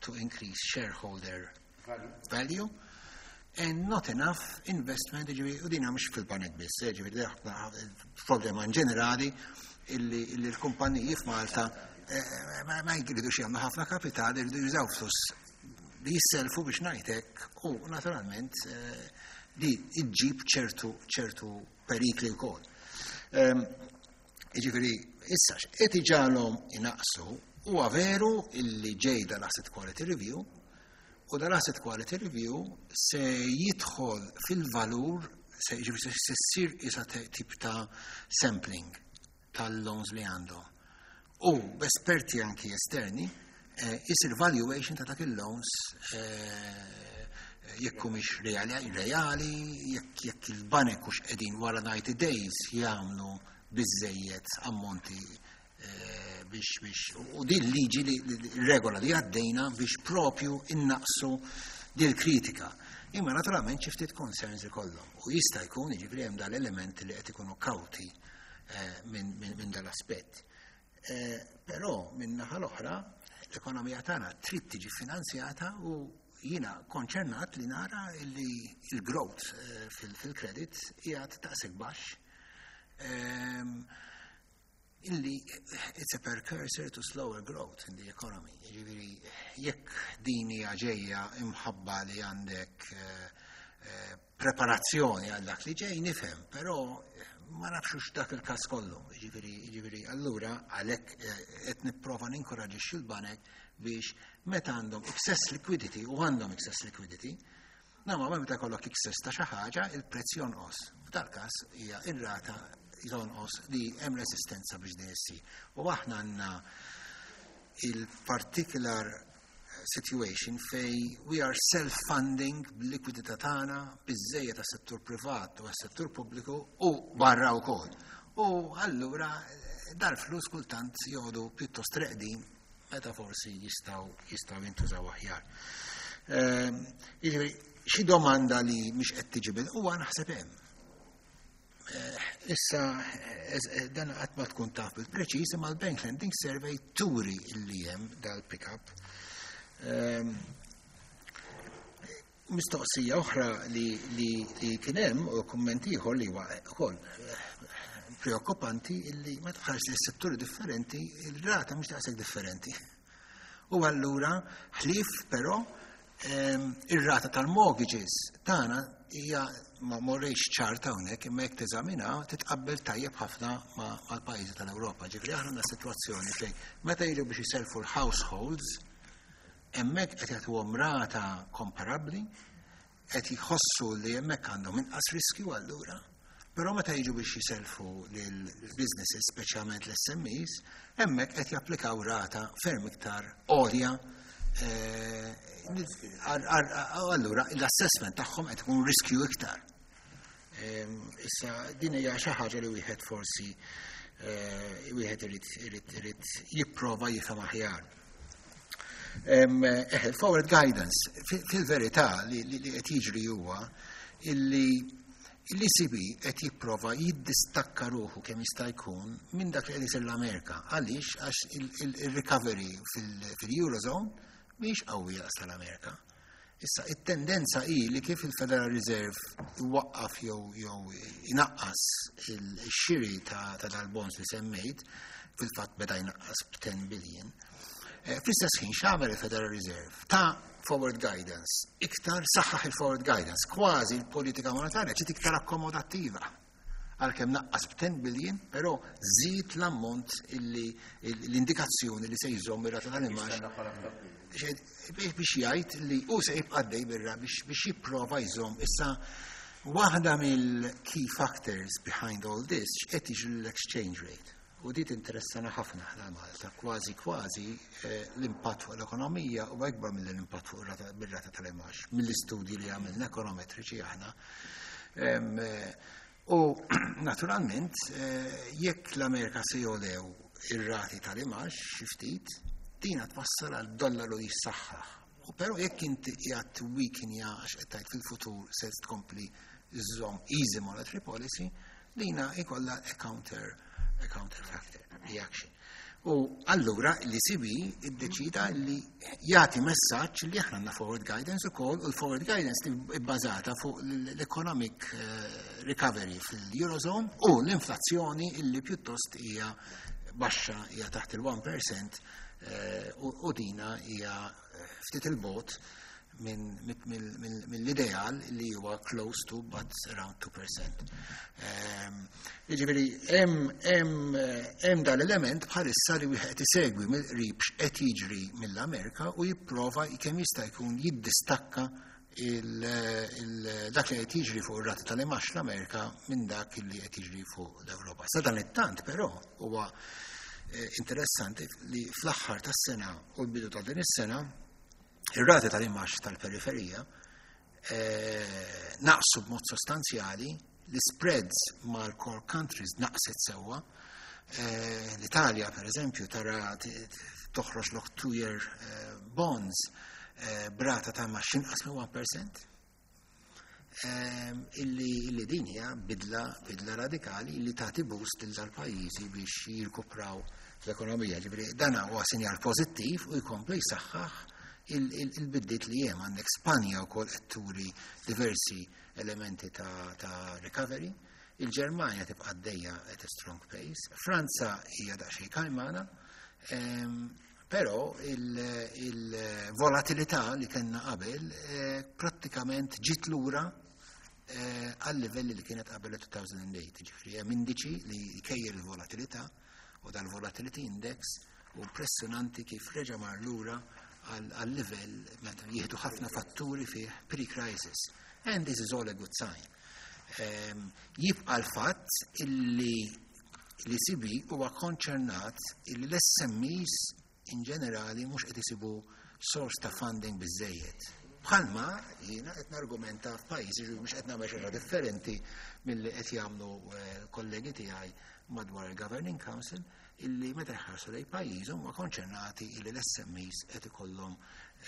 Speaker 4: to increase shareholder value and not enough investment, ġifieri, u dina mhux fil-banek biss, ġifieri, problema in ġenerali illi l-kumpaniji f'Malta ma jridux jagħmlu ħafna kapital, jridu jużaw flus li jisselfu biex ngħidlek, u naturalment li iġġib ċertu ċertu perikli wkoll. Ġifieri, issa qed iġagħalhom inaqsu huwa veru illi ġej dal-Asset Quality Review, u dal-Asset Quality Review se jidħol fil-valur, se ġifieri se ssir isa tip ta' sampling tal-loans li għandhom. U b'esperti anki esterni, isir valuation ta' dak il-loans jekk mhix reali, reali, jekk jekk il-banek hux qegħdin wara ninety days jagħmlu biżejjed ammonti biex biex u din liġi li regola li għaddejna biex propju innaqsu dil kritika. Imma naturalment xi ftit concerns ikollhom. U jista' jkun, jiġifieri, hemm dal-element li qed ikunu kawti minn min dal-aspett. Però minn naħa l-oħra l-ekonomija tagħna trid tiġi finanzjata u jiena konċernat li nara li il-growth fil-credit qiegħed daqshekk baxx, illi it's a precursor to slower growth in the economy. Ġifieri, jekk din hija ġejja imħabba li għandek preparazzjoni għal dak li ġej, nifhem, però ma nafxux dak il-każ kollu. Ġifieri, ġifieri, allura għalhekk qed nipprova ninkoraġixxi l-banek biex meta għandhom excess liquidity, u għandhom excess liquidity, normalment meta jkollok excess ta' xi ħaġa, il-prezz jonqos. F'dal każ hija ir-rata jonqos li hemm resistenza biex din issir. U aħna għandna il-particular situation fej we are self-funding bil-likwidità tagħna biżejjed tas-settur privat u għas-settur pubbliku u barra wkoll. U allura dal-flus kultant joqogħdu pjuttost reqdin meta forsi jistgħu jistgħu jintużaw aħjar. Jiġifieri, xi domanda li mhix qed tiġi bil huwa naħseb hemm. Issa, dan qatt ma tkun taf bil-preċiż, imma l-Bank Lending Survey turi illi hemm dal-pick-up. Mistoqsija oħra li, li, li kien hemm u kumment ieħor li huwa ukoll preokkupanti, illi ma tħares li setturi differenti, il-rata mhux daqshekk differenti. U allura ħlief però ir-rata tal-mortgages tagħna hija ma morrejx ċarta hawnhekk, imma jekk teżamina titqabbel tajjeb ħafna mal-pajjiżi tal-Ewropa. Ġifieri aħna għandna sitwazzjoni fejn meta jiġu biex jiselfu l-households, hemmhekk qed jagħtuhom rata komparabbli, qed jħossu li hemmhekk għandhom inqas riskju allura. Però meta jiġu biex jiselfu lill-businesses, speċjalment l-S M Es, hemmhekk qed japplikaw rata ferm iktar għolja. Allura l-assessment tagħhom qed ikun riskju iktar. Issa din hija xi ħaġa li wieħed forsi wieħed irid irid irid jipprova jifhem aħjar. Il-forward guidance, fil-verità li qed jiġri huwa illi l-E C B qed jipprova jiddistakka ruħu kemm jista' jkun minn dak li qed isir l-Amerika. Għaliex? Għax il-recovery fil-Eurozone mhix qawwija daqs tal-Amerika. Issa, it-tendenza hi li kif il-Federal Reserve iwaqqaf jew jew inaqqas il-xiri ta' dal-bonds li semmejt, fil-fatt beda jnaqqas b'ten billion. Fl-istess ħin x'għamel il-Federal Reserve? Ta forward guidance, iktar saħħaħ il-forward guidance, kważi l-politika monetarja ġiet iktar akkomodattiva. Għalkemm naqqas b'ten billion, però żid l-ammont illi l-indikazzjoni li se jżomm ir-rata tal-imgħax biex jgħid li u se jibqa' dej birra biex biex jipprova jżomm. Issa, waħda mill-key factors behind all this, x'qed jiġri l-exchange rate. U dit interessana ħafna ħna Malta, kważi kważi l-impatt fuq l-ekonomija u akbar mill-impatt fuq bir-rata tal-imgħax, mill-istudji li għamilna ekonometriċi aħna. U naturalment, jekk l-Amerika se jolew ir-rati tal-imgħax xi ftit, dina twassal għal dollaru jissaħħaħ. U però jekk inti qiegħed weakenja għax qed tgħid fil-futur se tkompli żżomm easy monetary policy, dina ikollha a counter a counter factor reaction. U allura l-E C B iddeċida li jagħti messaġġ li aħna għandna forward guidance ukoll, u l-forward guidance li bbażata fuq l-economic eh, recovery fil-Eurozone u l-inflazzjoni illi pjuttost hija baxxa, hija taħt il-wieħed fil-mija eh, u u dina hija eh, ftit il-bogħod mill-ideal li huwa close to but around two percent. Ehm, Jiġifieri hemm hemm dal-element bħalissa li wieħed isegwi mill-qrib x'qed jiġri mill-Amerika u jipprova kemm jista' jkun jiddistakka dak li qed jiġri fuq ir-rata tal-imgħax l-Amerika minn dak li qed jiġri fuq l-Ewropa. Sa dan it-tant però huwa eh, interessanti li fl-aħħar tas-sena u l-bidu ta' din is-sena ir-rati tal-imgħax tal-periferija eh, naqsu b'mod sostanzjali, l-spreads mal-core countries naqset sewwa. Eh, L-Italja, per eżempju, tara toħroġ lok two-year eh, bonds b'rata ta' imgħax inqas minn wieħed fil-mija. Illi, illi din hija bidla, bidla radikali illi tagħti boost lil dal-pajjiżi biex jirkupraw l-ekonomija. Ġifieri dana huwa sinjal pożittiv u jkompli jsaħħaħ il-bidliet li hemm. Għandek Spanja wkoll qed turi diversi elementi ta', ta recovery. Il-Ġermanja tibqa' għaddejja at a strong pace. Franza hija daqsxejn kajmana, però il-volatilità li kellna qabel eh, prattikament ġiet lura eh, għal livelli li kienet qabel elfejn u tmienja. Ġifieri hemm indiċi li jkejjel il-volatilità u dal-volatility index u impressjonanti kif reġa' mar lura għal-livell meta jieħdu ħafna fatturi fih pre-crisis. And this is all a good sign. Um, jibqa l-fatt illi l-E C B huwa konċernat illi l-S M Es in ġenerali mhux qed isibu source ta' funding biżejjed. Bħalma jiena qed nargumenta f'pajjiżi, mhux qed nagħmel xi differenti milli qed jagħmlu eh, kollegi tiegħi madwar il-Governing Council, illi meta jħarsu lejn pajjiżhom huma konċernati illi l-S M Es qed ikollhom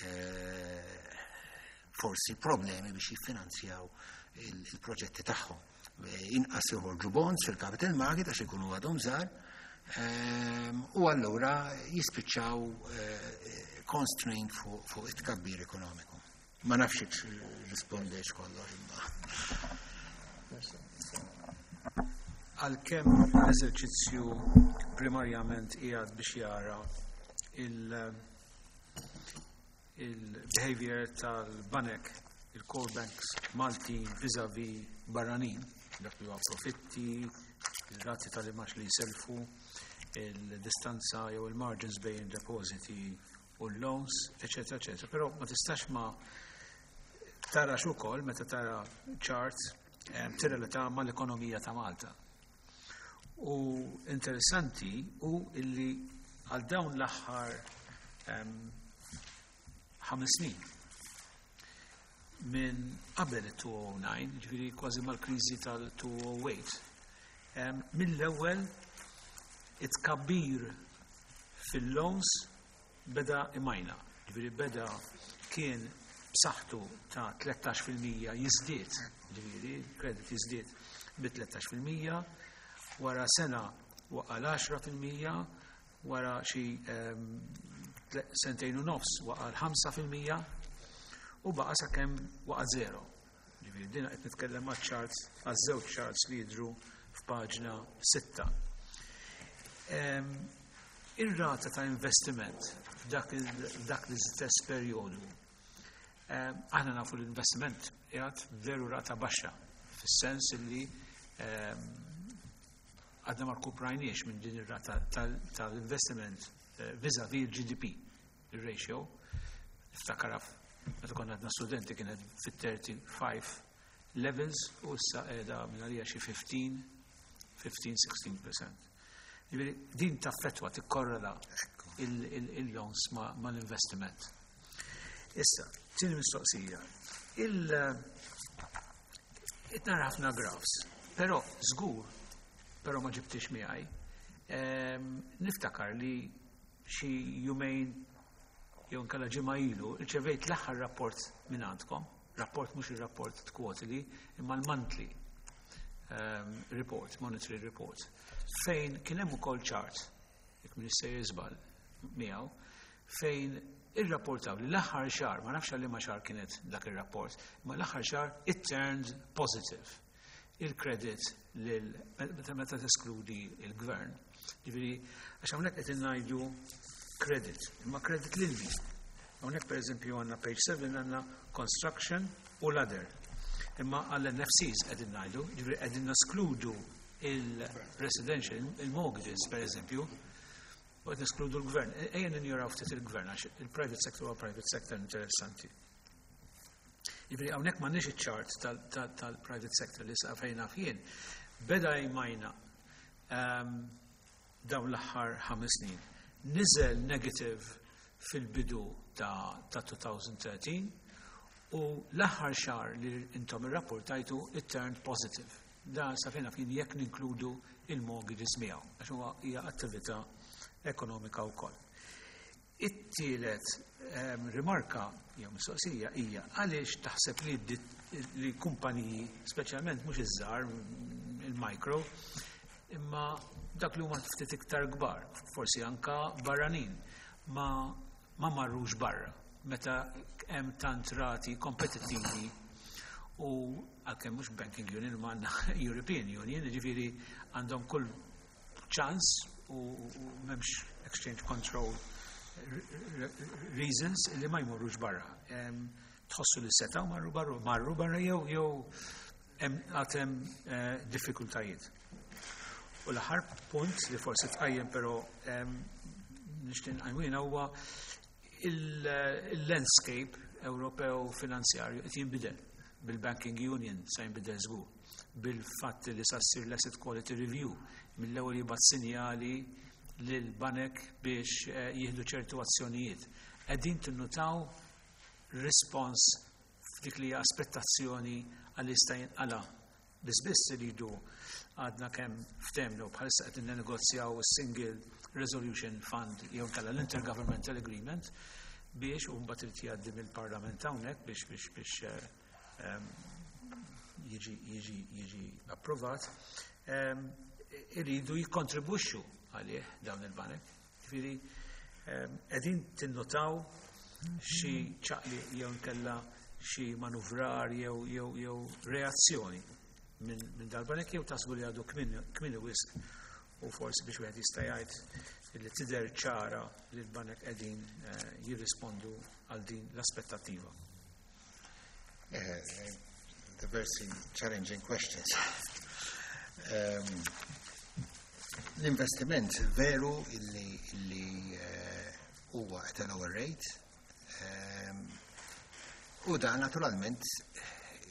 Speaker 4: eh, forsi problemi biex jiffinanzjaw il-proġetti tagħhom. Eh, inqas joħorġu bonds fil-capital market għax ikunu għadhom żgħar ehm, u allura jispiċċaw eh, constrained fuq it-tkabbir ekonomiku. Ma nafx rispondejx kollox imma.
Speaker 1: Għalkemm l-eżerċizzju primarjament qiegħed biex jara il-behavior tal-banek, il-core banks Maltin vis-a-vis barranin, dak li huwa profitti, il-rati tal-imgħax li jiselfu, il-distanza jew il-margins bejn depositi u l-loans, eccetera, eccetera. Però ma tistax ma tarax ukoll meta tara charts eh, tirrelata mal-ekonomija ta' Malta. U interessanti u illi għal dawn l-aħħar ħames snin minn qabel il-elfejn u disa', ġifieri kważi mal-kriżi tal-elfejn u tmienja, mill-ewwel it-tkabbir fil-loans beda imajna. Ġifieri beda kien b'saħħtu ta' tlettax fil-mija jiżdied, ġifieri credit jiżdied bi tlettax fil-mija, wara sena waqa' l-għaxra fil-mija, wara xi sentejn u nofs waqa' l-ħamsa fil-mija u baqa' sakemm waqa' zero. Ġifieri din qed nitkellem għaċ-charts, għaż-żewġ charts li jidhru f'paġna sitta. Ir-rata ta' investiment f'dak l-istess perjodu, aħna nafu l-investiment qiegħed veru rata baxxa, fis-sens li għadna ma rkuprajniex minn din ir-rata tal-investiment vis-a-vis il-G D P, il-ratio. Niftakar meta konna għadna studenti kienet fit-thirty-five levels u issa qiegħda minn għalija xi fifteen, fifteen, sixteen percent. Ġifieri din taffettwa, tikkorrela il-loans mal-investiment. Issa, tieni mistoqsija. Il nara ħafna graphs, però żgur, però ma ġibtix miegħi, niftakar li xi jumejn jew nkella ġimgħa ilu rċevejt l-aħħar rapport minn għandkom, rapport mhux ir-rapport quarterly, imma l-monthly um, report, monetary report, fejn kien hemm ukoll chart, jekk m'iniex sejjer żball miegħu, fejn irrapportaw li l-aħħar xahar, ma nafx għal ma xahar kienet dak ir-rapport, imma l-aħħar xahar it turned positive. Il-credit lil meta meta teskludi il-gvern. Ġifieri, għax hawnhekk qed ngħidu credit, imma credit lil min. Hawnhekk pereżempju għandna page seven, għandna construction u l-other. Imma għall-N F Cs qegħdin ngħidu, ġifieri qegħdin neskludu il-residential, il-mortgages pereżempju, u qed neskludu l-gvern. Ejja ninjoraw ftit il-gvern għax il-private sector huwa private sector interessanti. Ġifieri hawnhekk m'għandniex iċ-chart tal-private sector li sa fejn naf jien. Beda jmajna ehm, dawn l-aħħar ħames snin. Niżel negative fil-bidu ta' ta' elfejn u tlettax u l-aħħar xahar li intom irrapportajtu it turned positive. Da sa fejn naf jien jekk ninkludu il-mortgages miegħu, għax huwa hija attività ekonomika wkoll. It-tielet em, rimarka jew mistoqsija hija għaliex taħseb li dit- li kumpaniji, speċjalment mhux iż-żgħar, il-micro, imma dak li huma ftit iktar kbar, forsi anka barranin, ma ma marrux barra meta hemm tant rati kompetittivi u għalkemm mhux banking union ma għandna European Union, ġifieri għandhom kull ċans u u m'hemmx exchange control reasons li ma jmorrux barra. Em, Tħossu li setaw marru barra, marru barra jew jew hemm għad hemm eh, diffikultajiet. U l-aħħar punt li forsi tqajjem però em, nixtieq nqajmu huwa il-landscape Ewropew finanzjarju qed jinbidel bil-Banking Union, se jinbidel żgur, bil-fatt li sa ssir l-Asset Quality Review mill-ewwel jibgħat sinjali lil banek biex eh, jieħdu ċertu azzjonijiet. Qegħdin tinnutaw respons f'dik li hija aspettazzjoni għal jista' jinqala? Biss biss iridu għadna kemm ftehemna u bħalissa qed ninnegozjaw single resolution fund jew kalla l-intergovernmental agreement biex u mbagħad irid jgħaddi mill-Parlament hawnhekk biex biex biex eh, em, jiġi jiġi jiġi approvat, em, iridu jikkontribwixxu għalih dawn il-banek. Ġifieri em, qegħdin tinnotaw xi ċaqli jew nkella xi manuvrar jew jew jew reazzjoni minn min dal-banek jew taħsbu li għadu kmieni wisq u forsi biex wieħed jista' jgħid li tidher ċara li l-banek qegħdin eh, jirrispondu għal din l-aspettattiva?
Speaker 4: Eh, diversi challenging questions. Um, L-investiment veru illi, illi eh, huwa at a lower rate um, u dan naturalment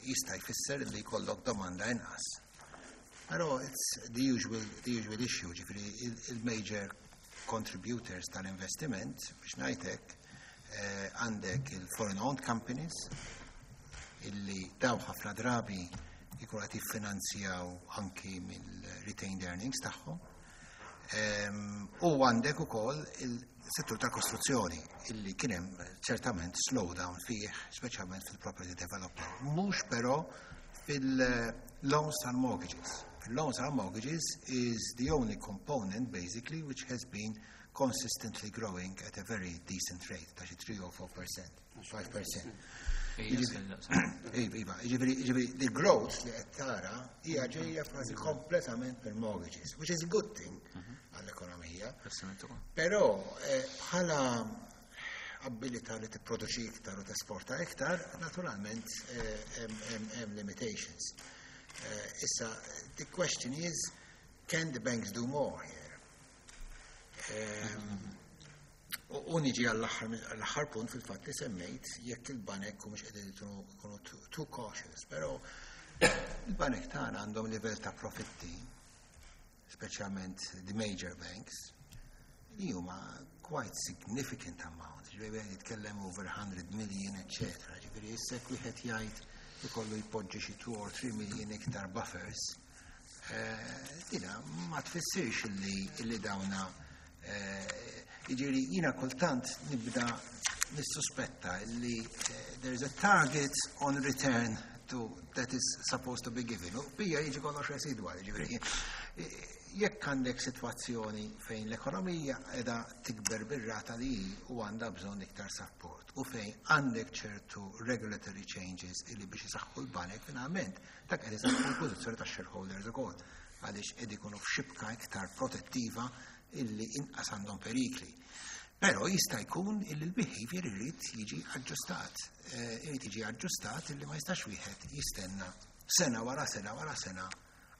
Speaker 4: jista' jfisser li jkollok domanda inqas. Però it's the usual, the usual issue, ġifieri il-major contributors tal-investiment, biex ngħidlek, eh, għandek il-foreign owned companies, illi daw ħafna drabi jkunu qed jiffinanzjaw anki mill-retained earnings tagħhom. Em, U għandek ukoll il-settur tal-kostruzzjoni illi kien hemm ċertament slowdown fih, speċjalment fil-property development. Mhux però fil-loans tal-mortgages. Il-loans tal-mortgages is the only component basically which has been consistently growing at a very decent rate, ta' xi three or four percent, five percent. Iva, ġifieri, ġifieri, the growth li qed tara hija ġejja kważi kompletament per mortgages, which is a good thing għall-ekonomija. Però eh, bħala abilità li tipproduċi iktar u tesporta iktar, naturalment eh, hemm hemm- hemm limitations. Eh, Issa, the question is, can the banks do more here? Ehm, U u niġi għall-aħħar punt fil-fatt li semmejt jekk il-banek u mhux qegħdin ikunu too- too cautious, però il-banek tagħna għandhom livell ta' profitti, speċjalment the major banks, li huma quite significant amount, ġifieri wieħed jitkellem over one hundred million, eccetera. Ġifieri issa jekk wieħed jgħid ikollu jpoġġi xi two or three million iktar buffers, eh, dina ma tfissirx illi illi dawna eh, Jiġifieri jiena kultant nibda nissuspetta li eh, there is a target on return to that is supposed to be given. U bija jiġi kollox residwali, ġifieri. Jekk għandek sitwazzjoni fejn l-ekonomija qiegħda tikber bir-rata li hi u għandha bżonn iktar support u fejn għandek ċertu regulatory changes illi biex isaħħu l-banek, finalment dak qed isaħħu l-pożizzjoni tax-shareholders ukoll, għaliex qed ikunu f'xibka iktar protettiva illi inqas għandhom perikli. Però jista' jkun illi l-behavior irid jiġi aġġustat. Eh, irid jiġi aġġustat illi ma jistax wieħed jistenna sena wara sena wara sena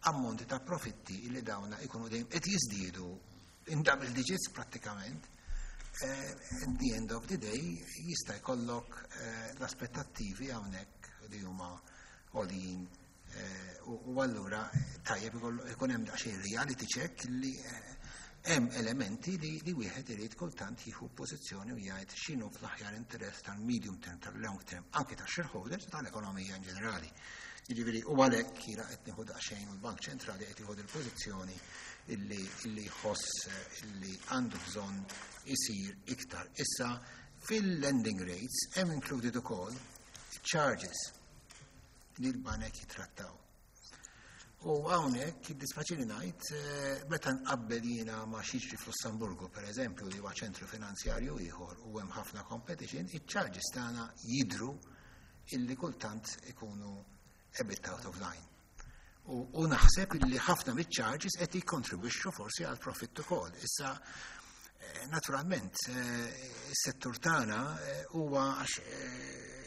Speaker 4: ammonti ta' profitti illi dawna ikunu dejjem qed jiżdiedu in double digits prattikament. Eh, at the end of the day jista' jkollok eh, l-aspettattivi hawnhekk li huma għoljin eh, u u allura tajjeb ikun hemm daqsxejn reality check li eh, hemm elementi li, li wieħed irid kultant jieħu pożizzjoni u jgħid x'inhu fl-aħjar interess tal-medium term, tal-long term, anke tax-shareholders u tal-ekonomija in ġenerali. Jiġifieri u għalhekk jiena qed nieħu daqsxejn u l-Bank Ċentrali qed jieħu il-pożizzjoni illi illi jħoss eh, illi għandu bżonn isir iktar. Issa fil-lending rates hemm included ukoll charges li l-banek jitrattaw. U hawnhekk jiddispjaċini ngħid eh, meta nqabbel jiena ma' x'jiġri f'Lussemburgu, pereżempju, li huwa ċentru finanzjarju ieħor u hemm ħafna competition, iċ-charges tagħna jidru illi kultant ikunu a bit out of line. U, u naħseb illi ħafna miċ-charges qed jikkontribwixxu forsi għal profitt ukoll. Issa eh, naturalment eh, is-settur tagħna eh, huwa għax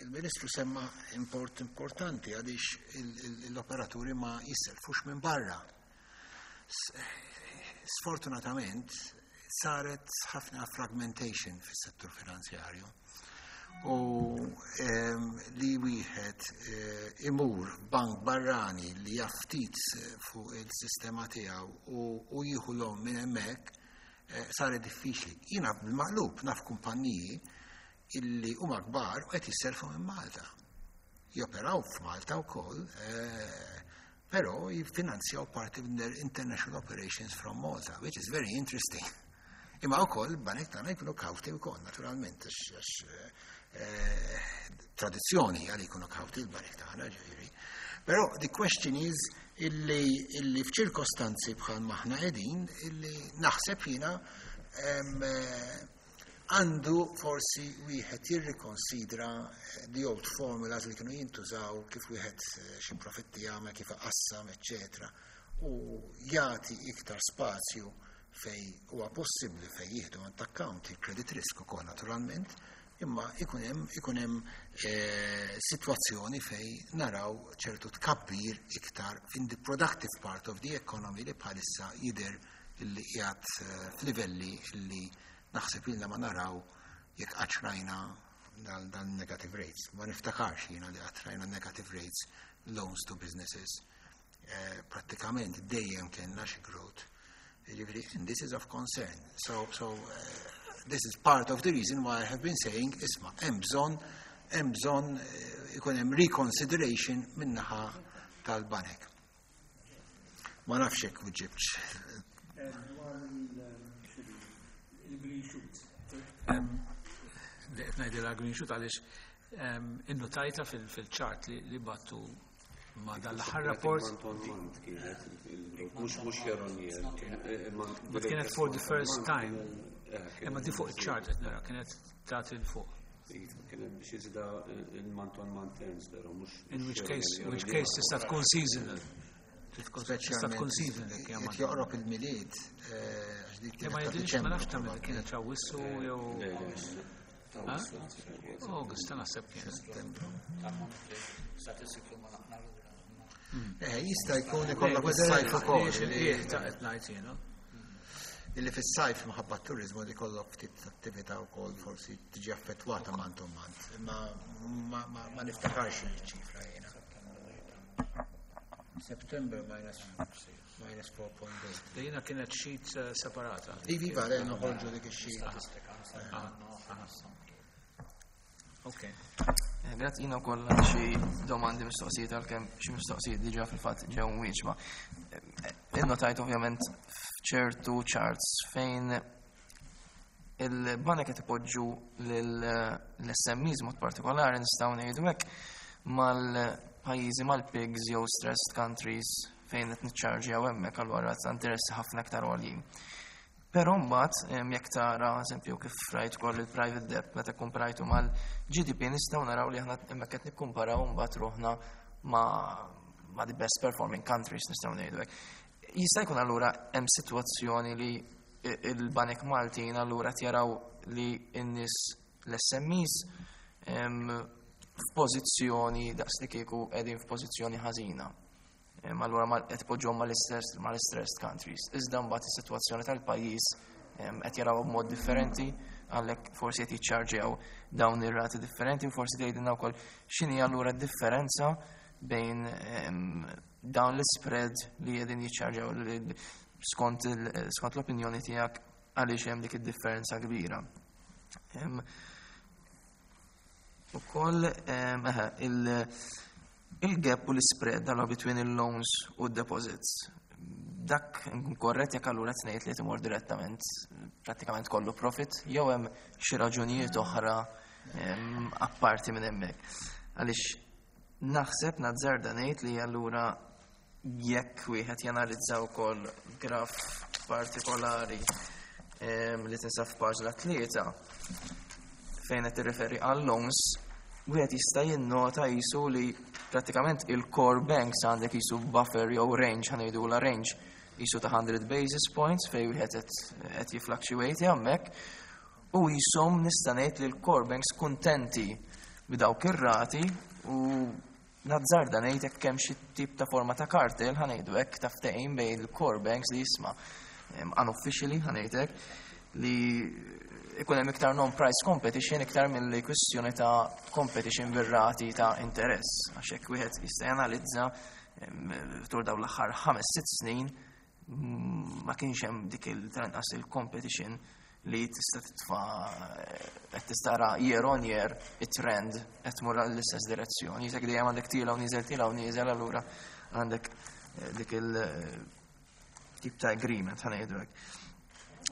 Speaker 4: il-Ministru semma import importanti għaliex l-operaturi ma jisselfux minn barra. Sfortunatament saret ħafna fragmentation fis-settur finanzjarju u li wieħed imur bank barrani li jaf ftit fuq il-sistema tiegħu u jieħu l minn hemmhekk saret diffiċli. Jiena bil-maqlub naf kumpanniji illi huma kbar u qed jisselfu minn Malta. Joperaw f'Malta wkoll, però jiffinanzjaw parti minn their international operations from Malta, which is very interesting. Imma wkoll banek tagħna jkunu kawti wkoll, naturalment, għax tradizzjoni għal jkunu kawti l-banek tagħna, ġifieri. Però the question is illi, illi f'ċirkostanzi bħal maħna qegħdin illi naħseb jiena għandu forsi wieħed jirrikonsidra the old formulas li kienu jintużaw kif wieħed xi profitti jagħmel, kif iqassam, eċetera, u jagħti iktar spazju fej huwa possibbli fej jieħdu into account il-credit risk ukoll naturalment, imma ikun hemm ikun hemm eh, sitwazzjoni fej naraw ċertu tkabbir iktar in the productive part of the economy li bħalissa jidher illi qiegħed eh, f'livelli illi naħseb ilna ma naraw jekk qatt rajna dan negative rates. Ma niftakarx jiena li qatt rajna negative rates loans to businesses. Eh, prattikament dejjem kellna xi growth. Jiġifieri, and this is of concern. So, so uh, this is part of the reason why I have been saying, isma', hemm bżonn, hemm bżonn eh, ikun hemm reconsideration min-naħa tal-banek. Ma nafx hekk weġibtx.
Speaker 1: Il-green shoot. Li qed ngħidilha green shoot għaliex innotajta fil-chart li bgħattu ma dal-aħħar rapport.
Speaker 6: Mhux mhux year on year.
Speaker 1: But kienet for the first time. Imma di fuq il-chart qed nara kienet tagħti 'l fuq.
Speaker 6: Kienet biex iżda il-month on month terms, però mhux.
Speaker 1: In which case, which case tista' tkun seasonal. Tista' tkun seasonal jekk
Speaker 4: Qed joqrob il-Milied, għax dik
Speaker 1: Ma jidhirx, ma nafx tagħmel kienet Awwissu jew. August, naħseb kienet.
Speaker 7: Statistiku ma naqna lura.
Speaker 4: Eh, jista' jkun ikollok is-sajf ukoll.
Speaker 1: Ta' qed ngħid jiena.
Speaker 4: Illi fis-sajf minħabba t-turizmu li kollok ftit attività wkoll forsi tiġi affettwata month on month. Imma ma niftakarx il-ċifra jiena. September minus minus four point eight.
Speaker 1: Jiena kienet sheet eh, separata.
Speaker 4: Iva, iva, le noħorġu dik ix-sheet.
Speaker 1: Ok.
Speaker 3: Eh, Grazzi, jiena wkoll għandi xi domandi, mistoqsijiet, għalkemm xi mistoqsijiet diġà fil-fatt ġew mwieġba. Eh, Innotajt ovvjament f'ċertu charts fejn Il-banek qed ipoġġu l-S M Es mod partikolari, nistgħu ngħidu hekk, mal-pajjiżi mal-P I Gs jew stressed countries fejn qed niċċarġjaw hemmhekk allura ta' interessi ħafna aktar għoljin. Però mbagħad jekk tara, eżempju, kif rajt ukoll il-private debt meta komparajtu mal-G D P, nistgħu naraw li aħna hemmhekk qed nikkumparaw mbagħad ruħna ma' ma' the best performing countries, nistgħu ngħidu hekk. Jista' jkun allura hemm sitwazzjoni li il-banek Maltin allura jaraw li n-nies, l-S M Es, f'pożizzjoni daqs li kieku qegħdin f'pożizzjoni ħażina. Allura qed poġġhom mal-stressed countries. Iżda mbagħad is-sitwazzjoni tal-pajjiż qed jaraw b'mod differenti, għalhekk forsi qed jiċċarġjaw dawn ir-rati differenti, u forsi tgħidilna wkoll x'inhi allura d-differenza bejn dawn l-spread li qegħdin jiċċarġjaw, skont skont l-opinjoni tiegħek għaliex hemm dik id-differenza kbira. Ukoll il-gap u l-spread dal between il-loans u deposits. Dak korrett jekk allura tnejt li timur direttament prattikament kollu profit, jew hemm xi raġunijiet oħra apparti minn hemmhekk? Għaliex naħseb, nazzarda ngħid, li allura jekk wieħed janalizza wkoll graf partikolari li tinsab f'paġna tlieta fejn qed tirreferi għal loans, wieħed jista' jinnota jisu li prattikament il-core banks għandek jisu buffer jew range, ħa ngħidu la range jisu ta' one hundred basis points fejn wieħed qed jifluctuate hemmhekk, u jisom nista' ngħid li l-core banks kuntenti b'dawk ir-rati, u nazzarda ngħid hekk hemm xi tip ta' forma ta' kartel, ħa ngħidu hekk, ta' ftehim bejn il-core banks li jisma' unofficially, ħa ngħid hekk, li ikun hemm iktar non-price competition iktar mill-li kwistjoni ta' competition bir-rati ta' interess. Għax hekk wieħed jista' janalizza tul dawn l-aħħar ħames sitt snin ma kienx hemm dik il-tanqas il-competition li tista' titfa' qed tista' year on year it-trend qed tmur l-istess direzzjoni. Jisek dejjem għandek tiela u nieżel, tiela u nieżel, allura għandek eh, dik il-tip ta' agreement, ħa ngħidu hekk.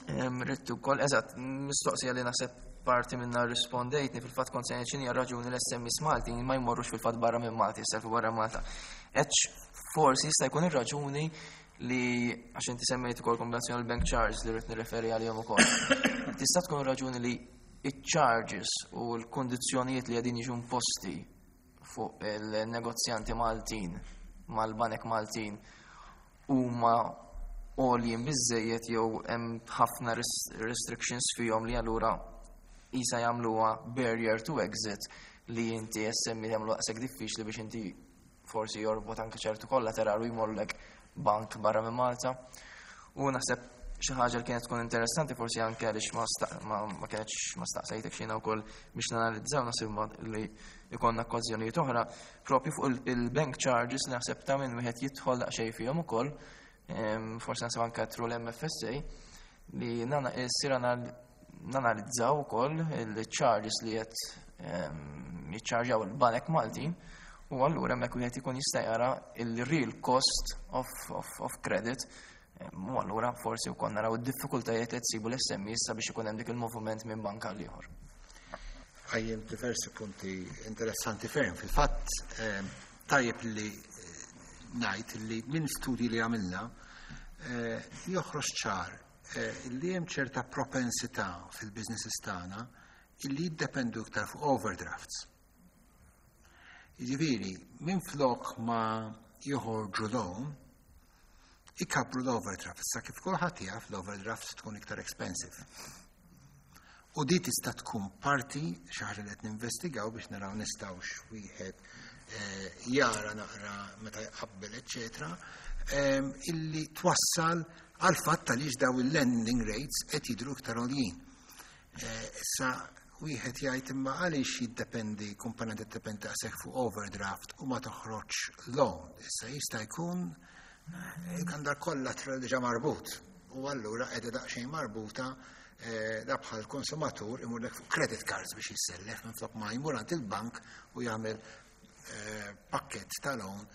Speaker 3: Rittu kol, eżatt, mistoqsija li naħseb parti minna rispondejtni fil-fatt, kont se x'inhi raġuni l-S M Es Malti ma jmorrux fil-fatt barra minn Malti, jisselfu barra Malta. Eċ forsi jista' jkun ir-raġuni li, għax inti semmejt ukoll kombinazzjoni bank charge li rrid nirreferi għalihom ukoll. Tista' tkun raġuni li iċ-charges u l-kondizzjonijiet li qegħdin jiġu imposti fuq il-negozjanti Maltin mal-banek Maltin huma għoljin biżejjed jew hemm ħafna restrictions fihom li allura isa jagħmluha barrier to exit, li inti S M E jagħmlu daqshekk diffiċli biex inti forsi jorbot anke ċertu kollateral u jmorrlek bank barra minn Malta? U naħseb xi ħaġa li kienet tkun interessanti forsi anke għaliex ma, ma, ma kienx ma staqsejtek xina wkoll biex nanalizzaw, naħseb li jkollna okkażjonijiet oħra propju fuq il-bank charges li naħseb ta' minn wieħed jidħol daqsxejn fihom ukoll, forsi naħseb anke through l-M F S A li nana issir nanalizzaw ukoll il-charges li qed jiċċarġaw il-banek Maltin, u allura hemmhekk wieħed ikun jista' jara il-real cost of, of, of credit, u allura forsi wkoll naraw id-diffikultajiet li tsibu l-S M Es sabiex ikun hemm dik il-moviment minn banka għal ieħor.
Speaker 4: Għajjem diversi punti interessanti ferm. Fil-fatt, tajjeb li eh, ngħid li minn studji li għamilna eh, joħroġ ċar eh, li hemm ċerta propensità fil-businesses tagħna illi jiddependu iktar fuq overdrafts. Jiġifieri, minn flok ma joħorġu loan, ikabru l-overdraft. Sa kif kulħadd jaf, l-overdraft tkun iktar expensive. U di tista' tkun parti xi ħaġa li qed ninvestigaw biex naraw nistgħux wieħed eh, jara naqra meta jqabbel, eċetera, ehm, illi twassal għal fatt għaliex daw il-lending rates qed jidhru iktar għoljin. Eh, issa wieħed jgħid, imma għaliex jiddependi, kumpanija tiddependi daqshekk fuq overdraft u ma toħroġ loan? Issa jista' jkun eh, għandha collateral diġà marbut u allura qiegħda daqsxejn marbuta eh, da bħal konsumatur imurlek fuq credit cards biex jissellef minflok ma jmur għand il-bank u jagħmel eh, pakket ta' loan.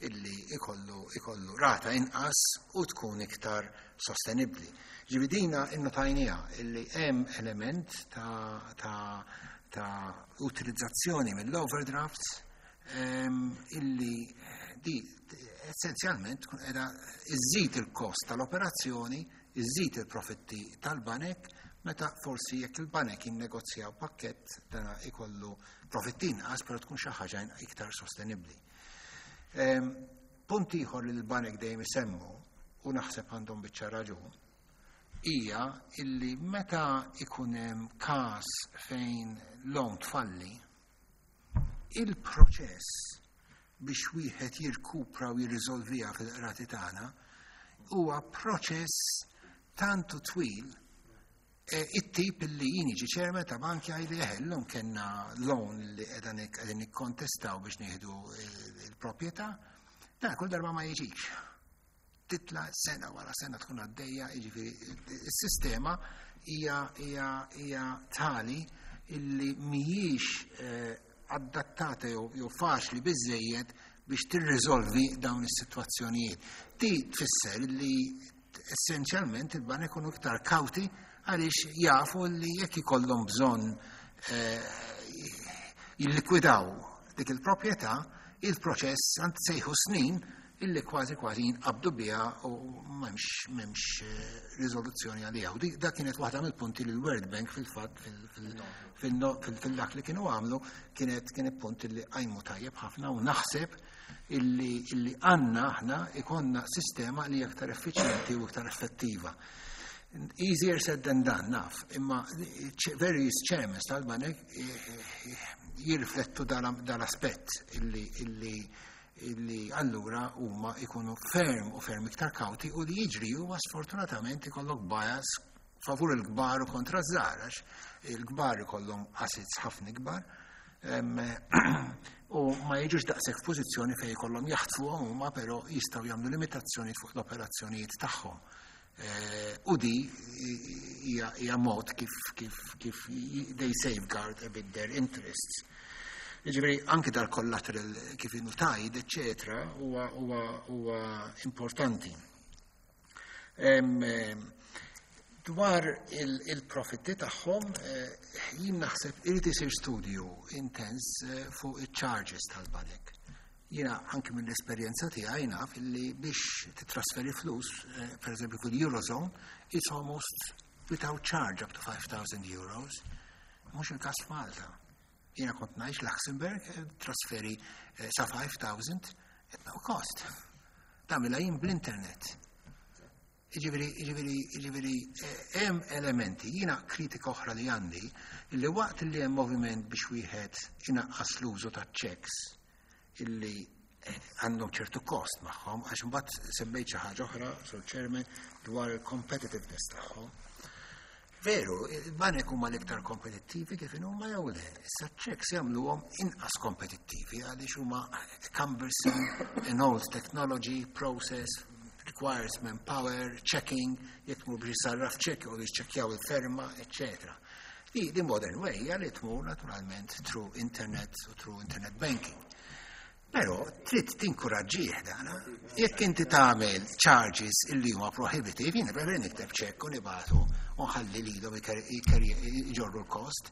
Speaker 4: illi ikollu, ikollu rata inqas u tkun iktar sostenibbli. Ġifieri dina innotajnieha illi hemm element ta', ta, ta utilizzazzjoni mill-overdrafts em, illi di essenzjalment tkun qiegħda iżżid il-kost tal-operazzjoni, iżżid il-profitti tal-banek, meta forsi jekk il-banek jinnegozjaw pakkett dana ikollu profitti inqas, però tkun xi ħaġa iktar sostenibbli. Em, Punt ieħor li l-banek dejjem isemmu u naħseb għandhom biċċa raġun hija illi meta ikun hemm każ fejn loan tfalli, il-proċess biex wieħed jirkupra u jirriżolviha fil-qrati tagħna huwa proċess tantu twil e, it-tip li jien jiġi chairman ta' banki għajli jeħellum kellna loan li qegħdin qegħdin nikkontestaw biex nieħdu il-proprjetà, dan kull darba ma jiġix. Titla sena wara sena tkun għaddejja, jiġifieri is-sistema hija hija hija tali illi mhijiex eh, adattata jew jew faċli biżejjed biex tirriżolvi dawn is-sitwazzjonijiet. Di tfisser li essenzjalment il-banek ikunu iktar kawti għaliex jafu li jekk ikollhom bżonn eh, jillikwidaw dik il-proprjetà, il-proċess għand sejħu snin illi kważi kważi jinqabdu biha u m'hemmx m'hemmx eh, riżoluzzjoni għaliha. U dik- dak kienet waħda mill-punti li l-World Bank fil-fatt fil-dak li kienu għamlu kienet kienet punt li qajmu tajjeb ħafna u naħseb illi illi għandna aħna ikonna sistema li aktar effiċjenti u iktar effettiva. Easier said than done, naf, imma various chairmen tal-banek eh, eh, jirriflettu dal-aspett illi illi illi allura huma ikunu ferm u ferm iktar kawti u li jiġri huwa sfortunatament ikollok bias favur il-kbar u kontra ż-żgħar għax il-kbar ikollhom assets ħafna ikbar em, u ma jiġux daqshekk f'pożizzjoni fejn ikollhom jaħtfuhom huma però jistgħu jagħmlu limitazzjoni fuq l-operazzjonijiet tagħhom. Eh, U di hija hija mod kif kif kif they safeguard a bit their interests. Jiġifieri anki dal-collateral kif inhu tied, eccetera, huwa huwa huwa importanti. Em, em, Dwar il- il-profitti tagħhom, eh, jien naħseb irid isir studju intens eh, fuq il-charges tal-banek. Jiena anki mill-esperjenza tiegħi naf illi biex titrasferi flus, eh, per eżempju fil-Eurozone, it's almost without charge up to five thousand euros. Mhux il-każ f'Malta. Jiena kont ngħix Luxembourg, eh, trasferi eh, sa five thousand, no cost. Tagħmilha jien bl-internet. Jiġifieri, jiġifieri, jiġifieri, eh, hemm elementi, jiena kritika oħra li għandi, illi waqt li hemm moviment biex wieħed inaqqas l-użu ta' checks illi eh, għandhom ċertu kost magħhom, għax mbagħad semmejt xi ħaġa oħra, Sur Chairman, dwar il-competitiveness tagħhom. Veru, il-banek huma l-iktar kompetittivi kif huma jew le. Issa checks jagħmluhom inqas kompetittivi għaliex huma cumbersome, an old technology, process, requires manpower, checking, jekk tmur biex sarraf check u jiċċekkjaw il-ferma, eccetera. Di, di modern way hija li tmur naturalment through internet u through internet banking. Però trid tinkuraġġih dana. Jekk inti tagħmel charges illi huma prohibitive, jiena preferi nikteb ċekk u nibagħtu u nħalli lilhom iġorru l-kost.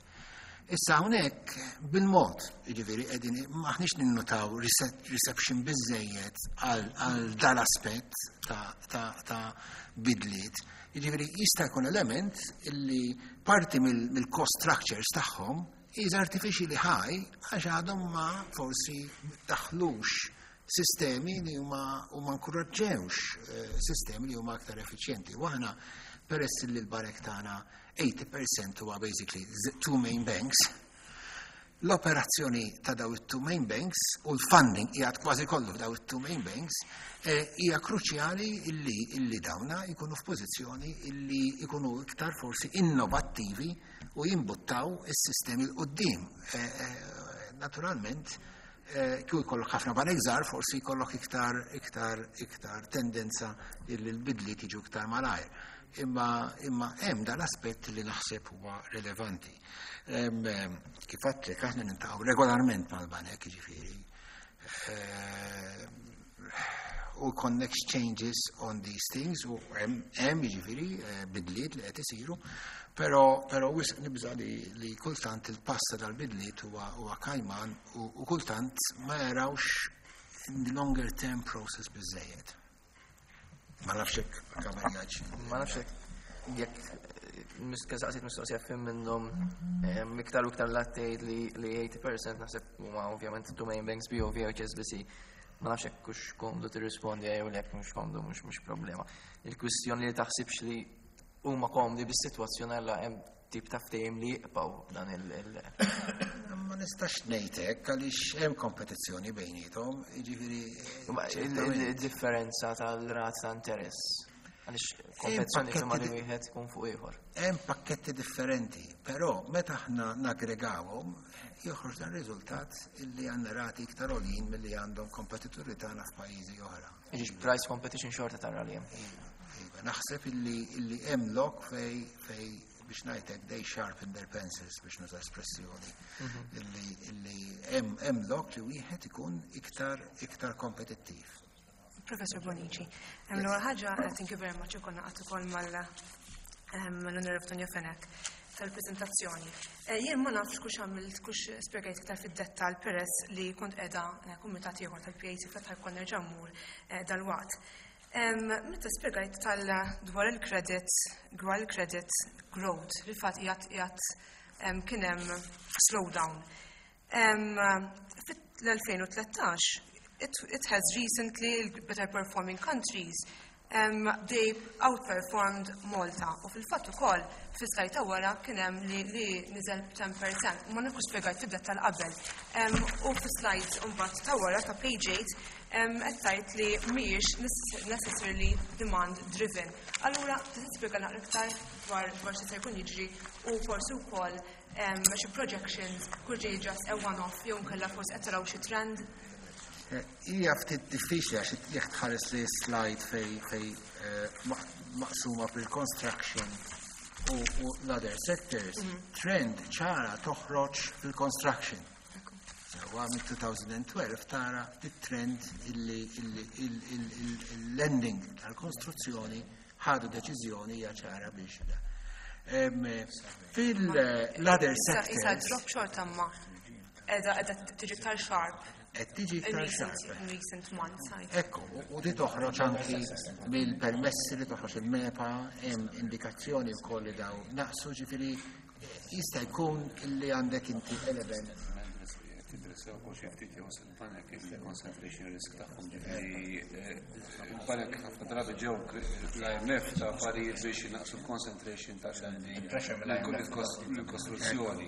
Speaker 4: Issa hawnhekk bil-mod, jiġifieri qegħdin maħniex ninnutaw reception biżejjed għal għal dal-aspett ta', ta, ta' bidliet. Jiġifieri jista' jkun element illi parti mill- mill-cost structures tagħhom is artificially high għax għadhom ma forsi daħlux sistemi li huma u ma nkoraġġewx eh, sistemi li huma aktar effiċjenti. U aħna peress li l-banek tagħna eighty percent huwa basically the two main banks, l-operazzjoni ta' daw it-two main banks u l-funding qiegħed kważi kollu f'daw it-two main banks eh, hija kruċjali illi illi dawna jkunu f'pożizzjoni illi jkunu iktar forsi innovattivi u jimbuttaw is-sistemi 'l quddiem. Eh, eh, Naturalment, eh, kieku jkollok ħafna banek żgħar, forsi jkollok iktar iktar iktar tendenza illi l-bidliet jiġu iktar malajr. Imma imma hemm dal-aspett li naħseb huwa rilevanti. Em, em, Kif għedtlek, aħna niltaqgħu regolarment mal-banek, jiġifieri. Eh, connect changes on these things u hemm jiġifieri eh, bidliet li qed isiru, però però wisq nibża li, li kultant il-passa tal-bidliet huwa huwa kajman u, u kultant ma jarawx in the longer term process biżejjed. Ma nafx hekk kamerjaġ.
Speaker 3: Ma nafx hekk jekk saqsiet mistoqsija fim minnhom iktar u iktar lattejt li li tgħonin fil-mija naħseb huma ovvjament two main banks, B O V u H S B C. Ma nafx hekk hux komdu tirrispondi jew jekk mhux komdu, mhux mhux problema. Il-kwistjoni li taħsibx li huma komdi bis-sitwazzjoni għalla hemm tip ta' ftehim li jibqgħu dan il- il-
Speaker 4: Ma nistax ngħidlek għaliex hemm kompetizzjoni bejniethom, jiġifieri
Speaker 3: Ma
Speaker 4: ċertament.
Speaker 3: Il-differenza tal-rat ta' interess. Għaliex kompetizzjoni
Speaker 4: pakketti
Speaker 3: imma li
Speaker 4: di-
Speaker 3: wieħed ikun fuq ieħor.
Speaker 4: Hemm pakketti differenti, però meta aħna naggregawhom joħroġ dan riżultat illi għandna rati iktar għoljin milli għandhom kompetituri tagħna f'pajjiżi oħra.
Speaker 3: Jiġifieri price competition xorta tara li hemm.
Speaker 4: Iva, iva, naħseb illi illi hemm lok fej fej biex ngħidlek they sharpen their pencils, biex nuża espressjoni. Illi illi hemm hemm lok li wieħed ikun iktar iktar kompetittiv.
Speaker 7: Professor Bonici, l-ewwel ħaġa, eh, thank you very much, ukoll naqgħod ukoll mal l-Onorevoli Tonio Fenech tal-prezentazzjoni. Eh, Jien ma nafx kux għamilt, kux spjegajt iktar fid-dettal peress li kont qiegħda eh, kumitat ieħor tal-P A C fl-aħħar kont nerġa' mmur eh, dal-waqt. Em, Meta spjegajt tal dwar il-credit, dwar il-credit growth, li fatt qiegħed qiegħed em, kien hemm slowdown. Em, Fit-elfejn u tlettax, it, it has recently, better performing countries, um, they outperformed Malta. U fil-fatt ukoll fis-slide ta' wara kien hemm li, li niżel għaxra fil-mija. Ma nafx spjegajt fid-dettal qabel. Um, u fis-slide mbagħad ta' wara ta' page eight um, qed tgħid li mhijiex necessarily demand driven. Allura tista' tispjega naqra iktar dwar dwar xi se jkun jiġri u forsi wkoll um, xi projections kull ġej just a one-off jew nkella forsi qed taraw xi trend?
Speaker 4: Eh, Hija ftit diffiċli għax jekk tħares li slide fej fej eh, maq- maqsuma bil-construction u, u l-other sectors, trend ċara toħroġ fil-construction. Sewa minn elfejn u tnax tara it-trend illi illi il-lending tal-konstruzzjoni ħadu deċiżjoni hija ċara biex da. Em, Fil-other
Speaker 7: Issa issa
Speaker 4: sectors
Speaker 7: drop xorta ma qiegħda qiegħda tiġi iktar sharp
Speaker 4: qed tiġi
Speaker 7: in
Speaker 4: iktar
Speaker 7: recent
Speaker 4: sharp.
Speaker 7: in recent months. I
Speaker 4: Ekku, u- u di toħroġ anki mill-permessi li toħroġ il-MEPA, hemm indikazzjoni wkoll li daw naqsu, ġifieri eh, jista' jkun illi għandek inti element.
Speaker 6: Tidressaw ukoll xi ftit jew il-banek il-concentration risk tagħhom, ġifieri eh, il-banek ħafna drabi ġew l-I M F ta' affarijiet biex jinaqsu l-concentration tal-lending l-kostruzzjoni.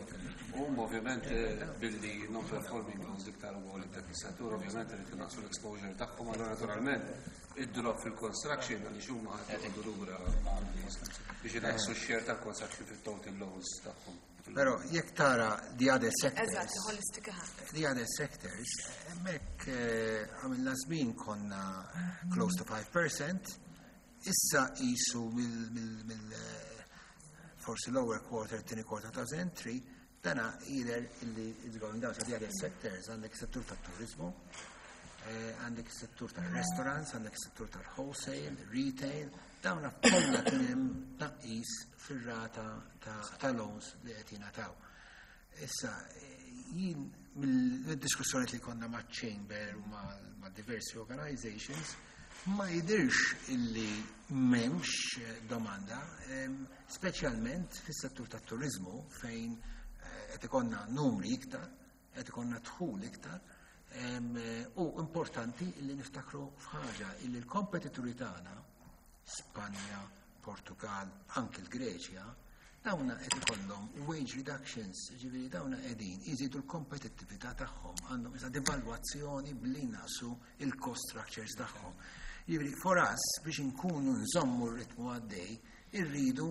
Speaker 6: U ovvjament eh, billi non-performing loans iktar u għoli dak is-settur, ovvjament irid inaqqsu l-exposure tagħhom, allura naturalment id-drop fil-construction għaliex huma ħadd joqogħdu lura biex inaqqsu x-share tal-construction fit-total loans tagħhom.
Speaker 4: Però jekk tara the other sectors,
Speaker 7: Eżatt, holistic ha.
Speaker 4: the other sectors, hemmhekk eh, għamilna żmien konna close to five percent, issa qisu mill, mill, mill eh, forsi lower quarter, tieni quarter two thousand three, dana either illi it's going down. So the other sectors, għandek settur tat-turizmu, eh, għandek settur tal-restaurants, għandek settur tal-wholesale, retail, dawna kollha kien hemm tnaqqis fir-rata ta', ta' loans li qed jingħataw. Issa, eh, jien mill-diskussjoni li konna ma' Chamber u ma', ma' diversi organizations, ma jidirx illi m'hemmx eh, domanda, em, speċjalment fis-settur tat-turizmu fejn eh, qed ikollna numri iktar, qed ikollna dħul iktar, em, eh, u importanti illi niftakru f'ħaġa illi l-kompetituri tagħna, Spanja, Portugal, anke l-Greċja, dawna qed ikollhom wage reductions, ġifieri dawna qegħdin iżidu l-kompetittività tagħhom, għandhom issa devalwazzjoni billi naqsu il-cost structures tagħhom. Ġifieri for us biex inkunu nżommu r-ritmu għaddej, irridu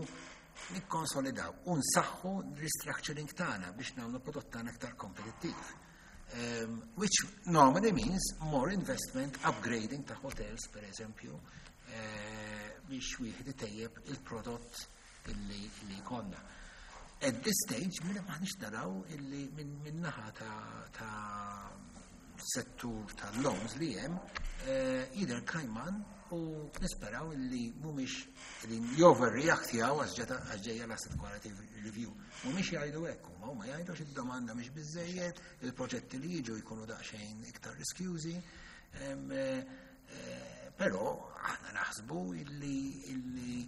Speaker 4: nikkonsolidaw u nsaħħu restructuring tagħna biex nagħmlu prodott tagħna aktar kompetittiv. Um, which normally means more investment, upgrading ta' hotels, per eżempju, eh, biex wieħed itejjeb il-prodott illi li jkollna. At this stage, minna maħniex naraw illi minn min naħa ta', ta settur tal-loans li hemm eh, jidher kajman u nisperaw li mhumiex qegħdin joverreactjaw għax ġejja l-asset quality review. Mhumiex jgħidu hekk huma, huma jgħidu xi domanda mhix biżejjed, il-proġetti li jiġu jkunu daqsxejn iktar riskjużi. Em, eh, eh, Però aħna naħsbu illi illi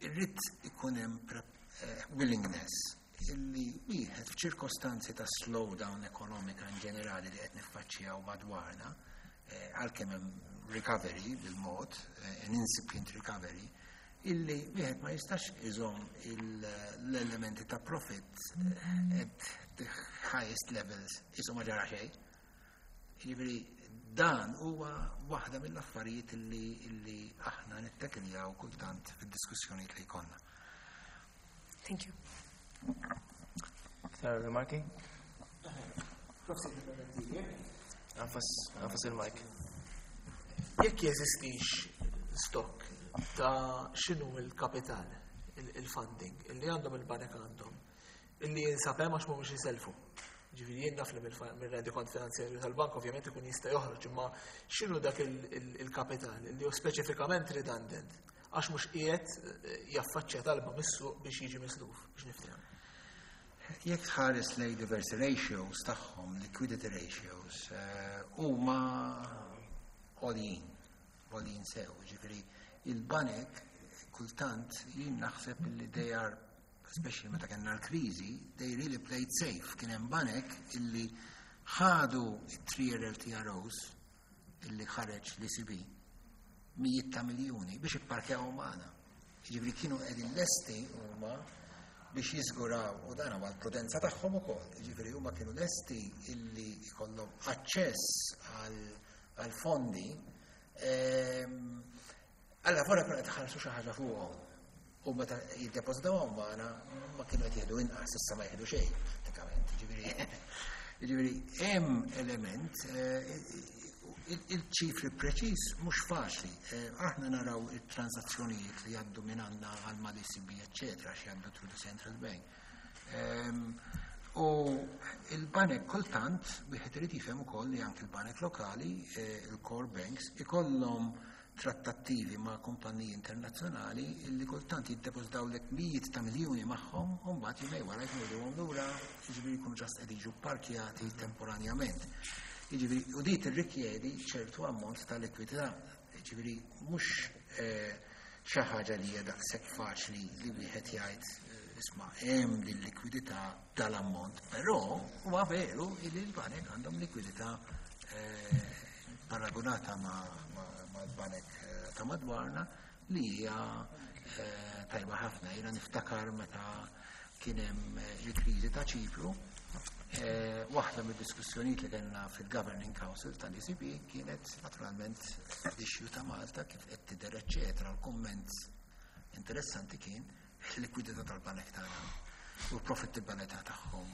Speaker 4: irrid ikun hemm pre- eh, willingness illi wieħed f'ċirkostanzi ta' slowdown ekonomika in ġenerali li qed niffaċċjaw madwarna, eh, għalkemm hemm recovery bil-mod, eh, an incipient recovery, illi wieħed ma jistax iżomm il- l-elementi ta' profit eh, at the highest levels isu ma ġara xejn. Jiġifieri dan huwa waħda mill-affarijiet illi, illi aħna nittekiljaw kultant fid-diskussjonijiet li jkollna.
Speaker 7: Thank you.
Speaker 3: Aktar rimarki? Agħfas agħfas il-mic.
Speaker 8: Jekk jeżistix stock ta' x'inhu il-kapital, il- il-funding, illi għandhom il-banek għandhom, illi jinsab hemm għax mhumiex jiselfu. Ġifieri jien naf li mill-rendikont finanzjarju tal-bank ovvjament ikun jista' joħroġ, imma x'inhu dak il- il- il-kapital illi hu speċifikament redundant għax mhux qiegħed eh, jaffaċċja talba mis-suq biex jiġi misluf biex niftehom.
Speaker 4: Jekk tħares lej diversi ratios tagħhom, liquidity ratios, eh, huma għoljin, għoljin sew, ġifieri il-banek kultant jien naħseb li they are, especially meta kellna l-kriżi, they really played safe. Kien hemm banek illi ħadu it-three L T R Os illi ħareġ l-E C B mijiet ta' miljuni biex ipparkjaw magħna. Ġifieri kienu qegħdin lesti huma biex jiżguraw u dan huwa l-prudenza tagħhom ukoll. Ġifieri huma kienu lesti illi jkollhom aċċess għal fondi ehm, Alla fora kienu qed iħallsu xi ħaġa fuqhom. U meta jiddepożitawhom magħna ma kienu qed jieħdu inqas, issa ma jieħdu xejn prattikament. Ġifieri ġifieri hemm element eh, il-ċifri preċis mhux faċli. Eh, aħna naraw it-transazzjonijiet li jgħaddu minn għandna għal mal-E C B, eccetera, xi jgħaddu through the central bank. Ehm, U il-banek kultant, wieħed irid jifhem ukoll li anke il-banek lokali, eh, il-core banks, ikollhom trattattivi ma' kumpaniji internazzjonali illi kultant jiddepożitawlek mijiet ta' miljuni magħhom u mbagħad jumejn wara jkunu lura, jiġifieri jkunu just qed jiġu parkjati temporanjament. Jiġifieri u di tirrikjedi ċertu ammont ta' likwidità. Jiġifieri mhux eh, xi ħaġa li hija daqshekk faċli li wieħed jgħid eh, isma' hemm din likwidità tal-ammont, però huwa veru li l-banek għandhom likwidità eh, paragonata ma' ma' l-banek eh, ta' madwarna li hija eh, tajba ħafna. Jiena niftakar meta kien hemm eh, il-kriżi ta' Ċipru, eh, waħda mid-diskussjonijiet li kellna fil-Governing Council tal-E C B kienet naturalment l-issue ta' Malta kif qed tidher eċċetera. L-kumment interessanti kien il-likwidità tal-banek tagħna u l-profittabilità tagħhom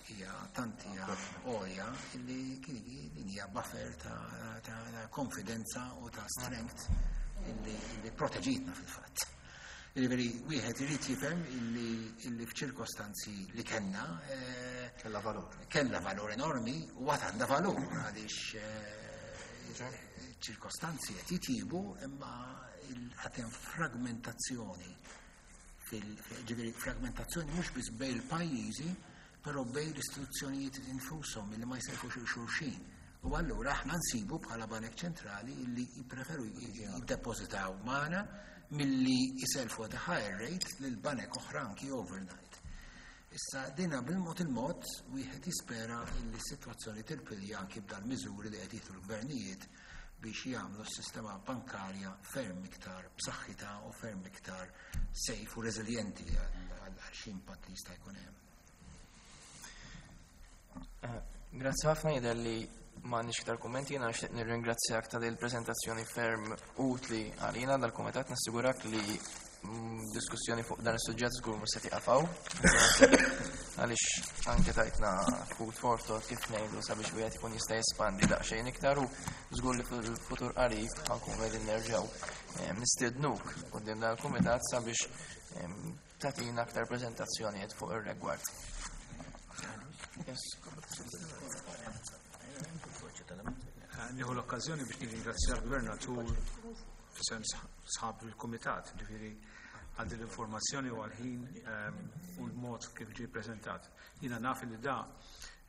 Speaker 4: hija tant hija għolja illi kien din hija buffer ta', ta, ta konfidenza u ta' strength illi, illi proteġitna fil-fatt. Jiġifieri wieħed irid jifhem illi, illi f'ċirkostanzi li kellna eh,
Speaker 5: Kella valur.
Speaker 4: Kella valur enormi u għad għandha valur għaliex eh, ċirkostanzi qed jitjibu imma għad hemm fragmentazzjoni fil ġifieri fragmentazzjoni mhux biss bejn il-pajjiżi, però bejn l-istituzzjonijiet infushom illi ma jsellfux xulxin. U allura aħna nsibu bħala banek ċentrali illi jippreferu jiddepożitaw magħna milli jiselfu at a higher rate lil banek oħra anki overnight. Issa dina bil-mod il-mod wieħed jispera illi s-sitwazzjoni tirpilja anki b'dal miżuri li qed jieħdu l-gvernijiet biex jagħmlu s-sistema bankarja ferm iktar b'saħħitha u ferm iktar safe u reżiljenti għal xi impatt li jista' jkun hemm.
Speaker 3: Eh, Grazzi ħafna, jidher li m'għandniex iktar kummenti, jiena nixtieq nirringrazzjak ta' il prezentazzjoni ferm utli għalina dal-kumitat, nassigurak li mm, diskussjoni fuq dan is-suġġett żgur mhux se tieqaf hawn. Għaliex anke tajtna food for thought kif ngħidu sabiex wieħed ikun jista' jespandi daqsxejn iktar u żgur li fil-futur qarib ħa nkunu qegħdin nerġgħu eh, nistiednuk quddiem dan il-kumitat sabiex eh, tagħtina aktar preżentazzjonijiet fuq ir-rigward. Yes.
Speaker 1: nieħu l-okkażjoni biex nirringrazzja l-Gvernatur f'isem sħab il-Kumitat, ġifieri għal din l-informazzjoni u għal-ħin ehm, u l-mod kif ġie preżentat. Jiena naf li da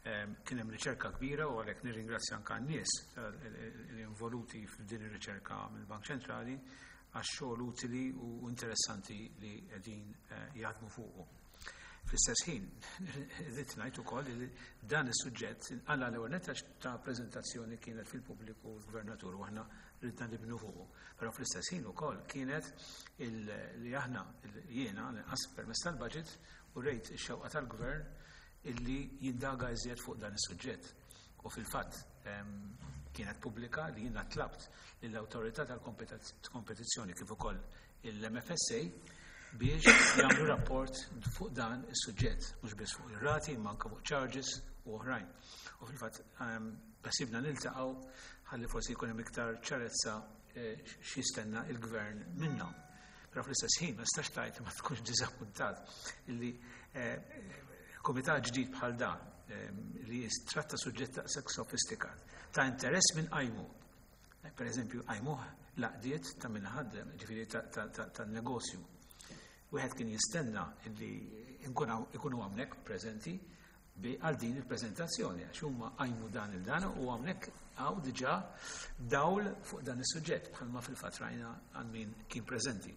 Speaker 1: ehm, kien hemm riċerka kbira u għalhekk nirringrazzja anke n-nies eh, li involuti f'din ir-riċerka mill-Bank Ċentrali għax-xogħol utili u interessanti li qegħdin eh, jaħdmu fuqu. Fl-istess ħin, irrid ngħid ukoll li dan is-suġġett għalla l-ewwel nett għax ta' preżentazzjoni kienet fil-pubbliku l-Gvernatur u aħna ridna nibnu fuqu. Però fl-istess ħin ukoll kienet il- li aħna jiena lanqas permezz tal-budget u rejt ix-xewqa tal-gvern illi jindaga iżjed fuq dan is-suġġett. U fil-fatt em, kienet pubblika li jiena tlabt lill-Awtorità tal-Kompetizzjoni kif ukoll il-M F S A biex jagħmlu rapport fuq dan is-suġġett, mhux biss fuq ir-rati, imma anke fuq charges u oħrajn. U fil-fatt ehm, beħsiebna niltaqgħu ħalli forsi jkun hemm iktar ċarezza eh, x'jistenna il-gvern minnhom. Però fl-istess ħin ma nistax tgħid ma tkunx diżappuntat illi eh, komitat ġdid bħal dan ehm, li jistratta suġġett daqshekk sofistikat ta' interess minn qajmu. Eh, Per eżempju, qajmuh l-għaqdiet ta' min ħaddem, ġifieri ta' negozju. Wieħed kien jistenna illi ikunu hawnhekk preżenti bi għal din il-preżentazzjoni, għax huma qajmu dan il-dan u hawnhekk hawn diġà dawl fuq dan is-suġġett bħalma fil-fatt rajna għal min kien preżenti.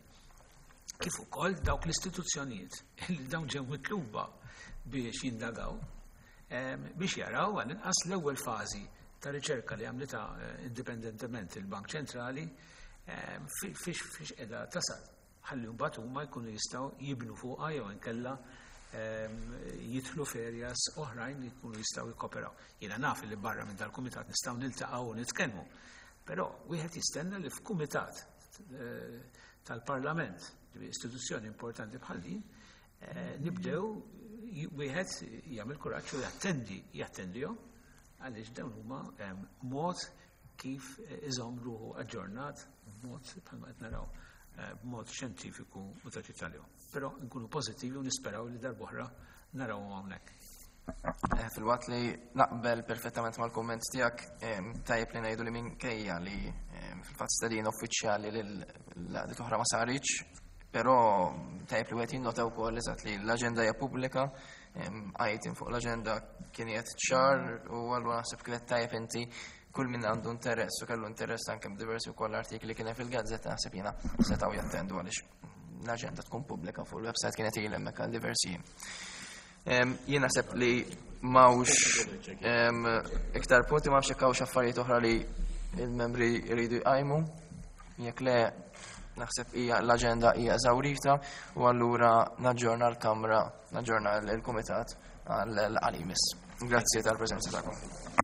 Speaker 1: Kif ukoll dawk l-istituzzjonijiet li dawn ġew mitluba biex jindagaw, em, biex jaraw għal inqas l-ewwel fażi ta' riċerka li għamlita eh, indipendentement il-Bank Ċentrali em, fi- fiex fiex qiegħda tasal. Ħalli mbagħad huma jkunu jistgħu jibnu fuqha jew inkella em, jidħlu f'areas oħrajn li jkunu jistgħu jikkoperaw. Jiena naf li barra minn dal-kumitat nistgħu niltaqgħu u nitkellmu. Però wieħed jistenna li f'kumitat eh, tal-Parlament, ġifieri istituzzjoni importanti bħal din, eh, nibdew j- wieħed jagħmel kuraġġ u jattendi jattendihom għaliex dawn huma em, mod kif eh, iżomm ruħu aġġornat b'mod bħalma qed naraw eh, b'mod xjentifiku u ta' ċittadin. Però nkunu pożittivi u nisperaw li darb'oħra narawhom hawnhekk.
Speaker 3: Eh, Fil-waqt li naqbel perfettament mal-komment tiegħek, em, tajjeb li ngħidu li minkejja li em, fil-fatt stedina uffiċjali l-għaqdiet oħra ma saritx, però tajjeb li wieħed jinnota wkoll eżatt li l-aġenda hija pubblika, em, item fuq l-aġenda kien qiegħed ċar u allura naħseb kienet tajjeb inti kull min għandu interess u kellu interess anke b'diversi wkoll artikli kien hemm fil-gazzetta, naħseb jiena setgħu jattendu għaliex l-aġenda tkun pubblika fuq il-website, kienet ilha hemmhekk għal diversi jiem. Em, Jien naħseb li m'hawnx em, iktar punti, ma nafx jekk hawnx affarijiet oħra li il-membri jridu jqajmu. Jekk le, naħseb hija l-aġenda hija eżawrita u allura naġġorna l-Kamra, naġġorna l-Kumitat għal-għalimis. Grazzi tal-preżenza tagħkom.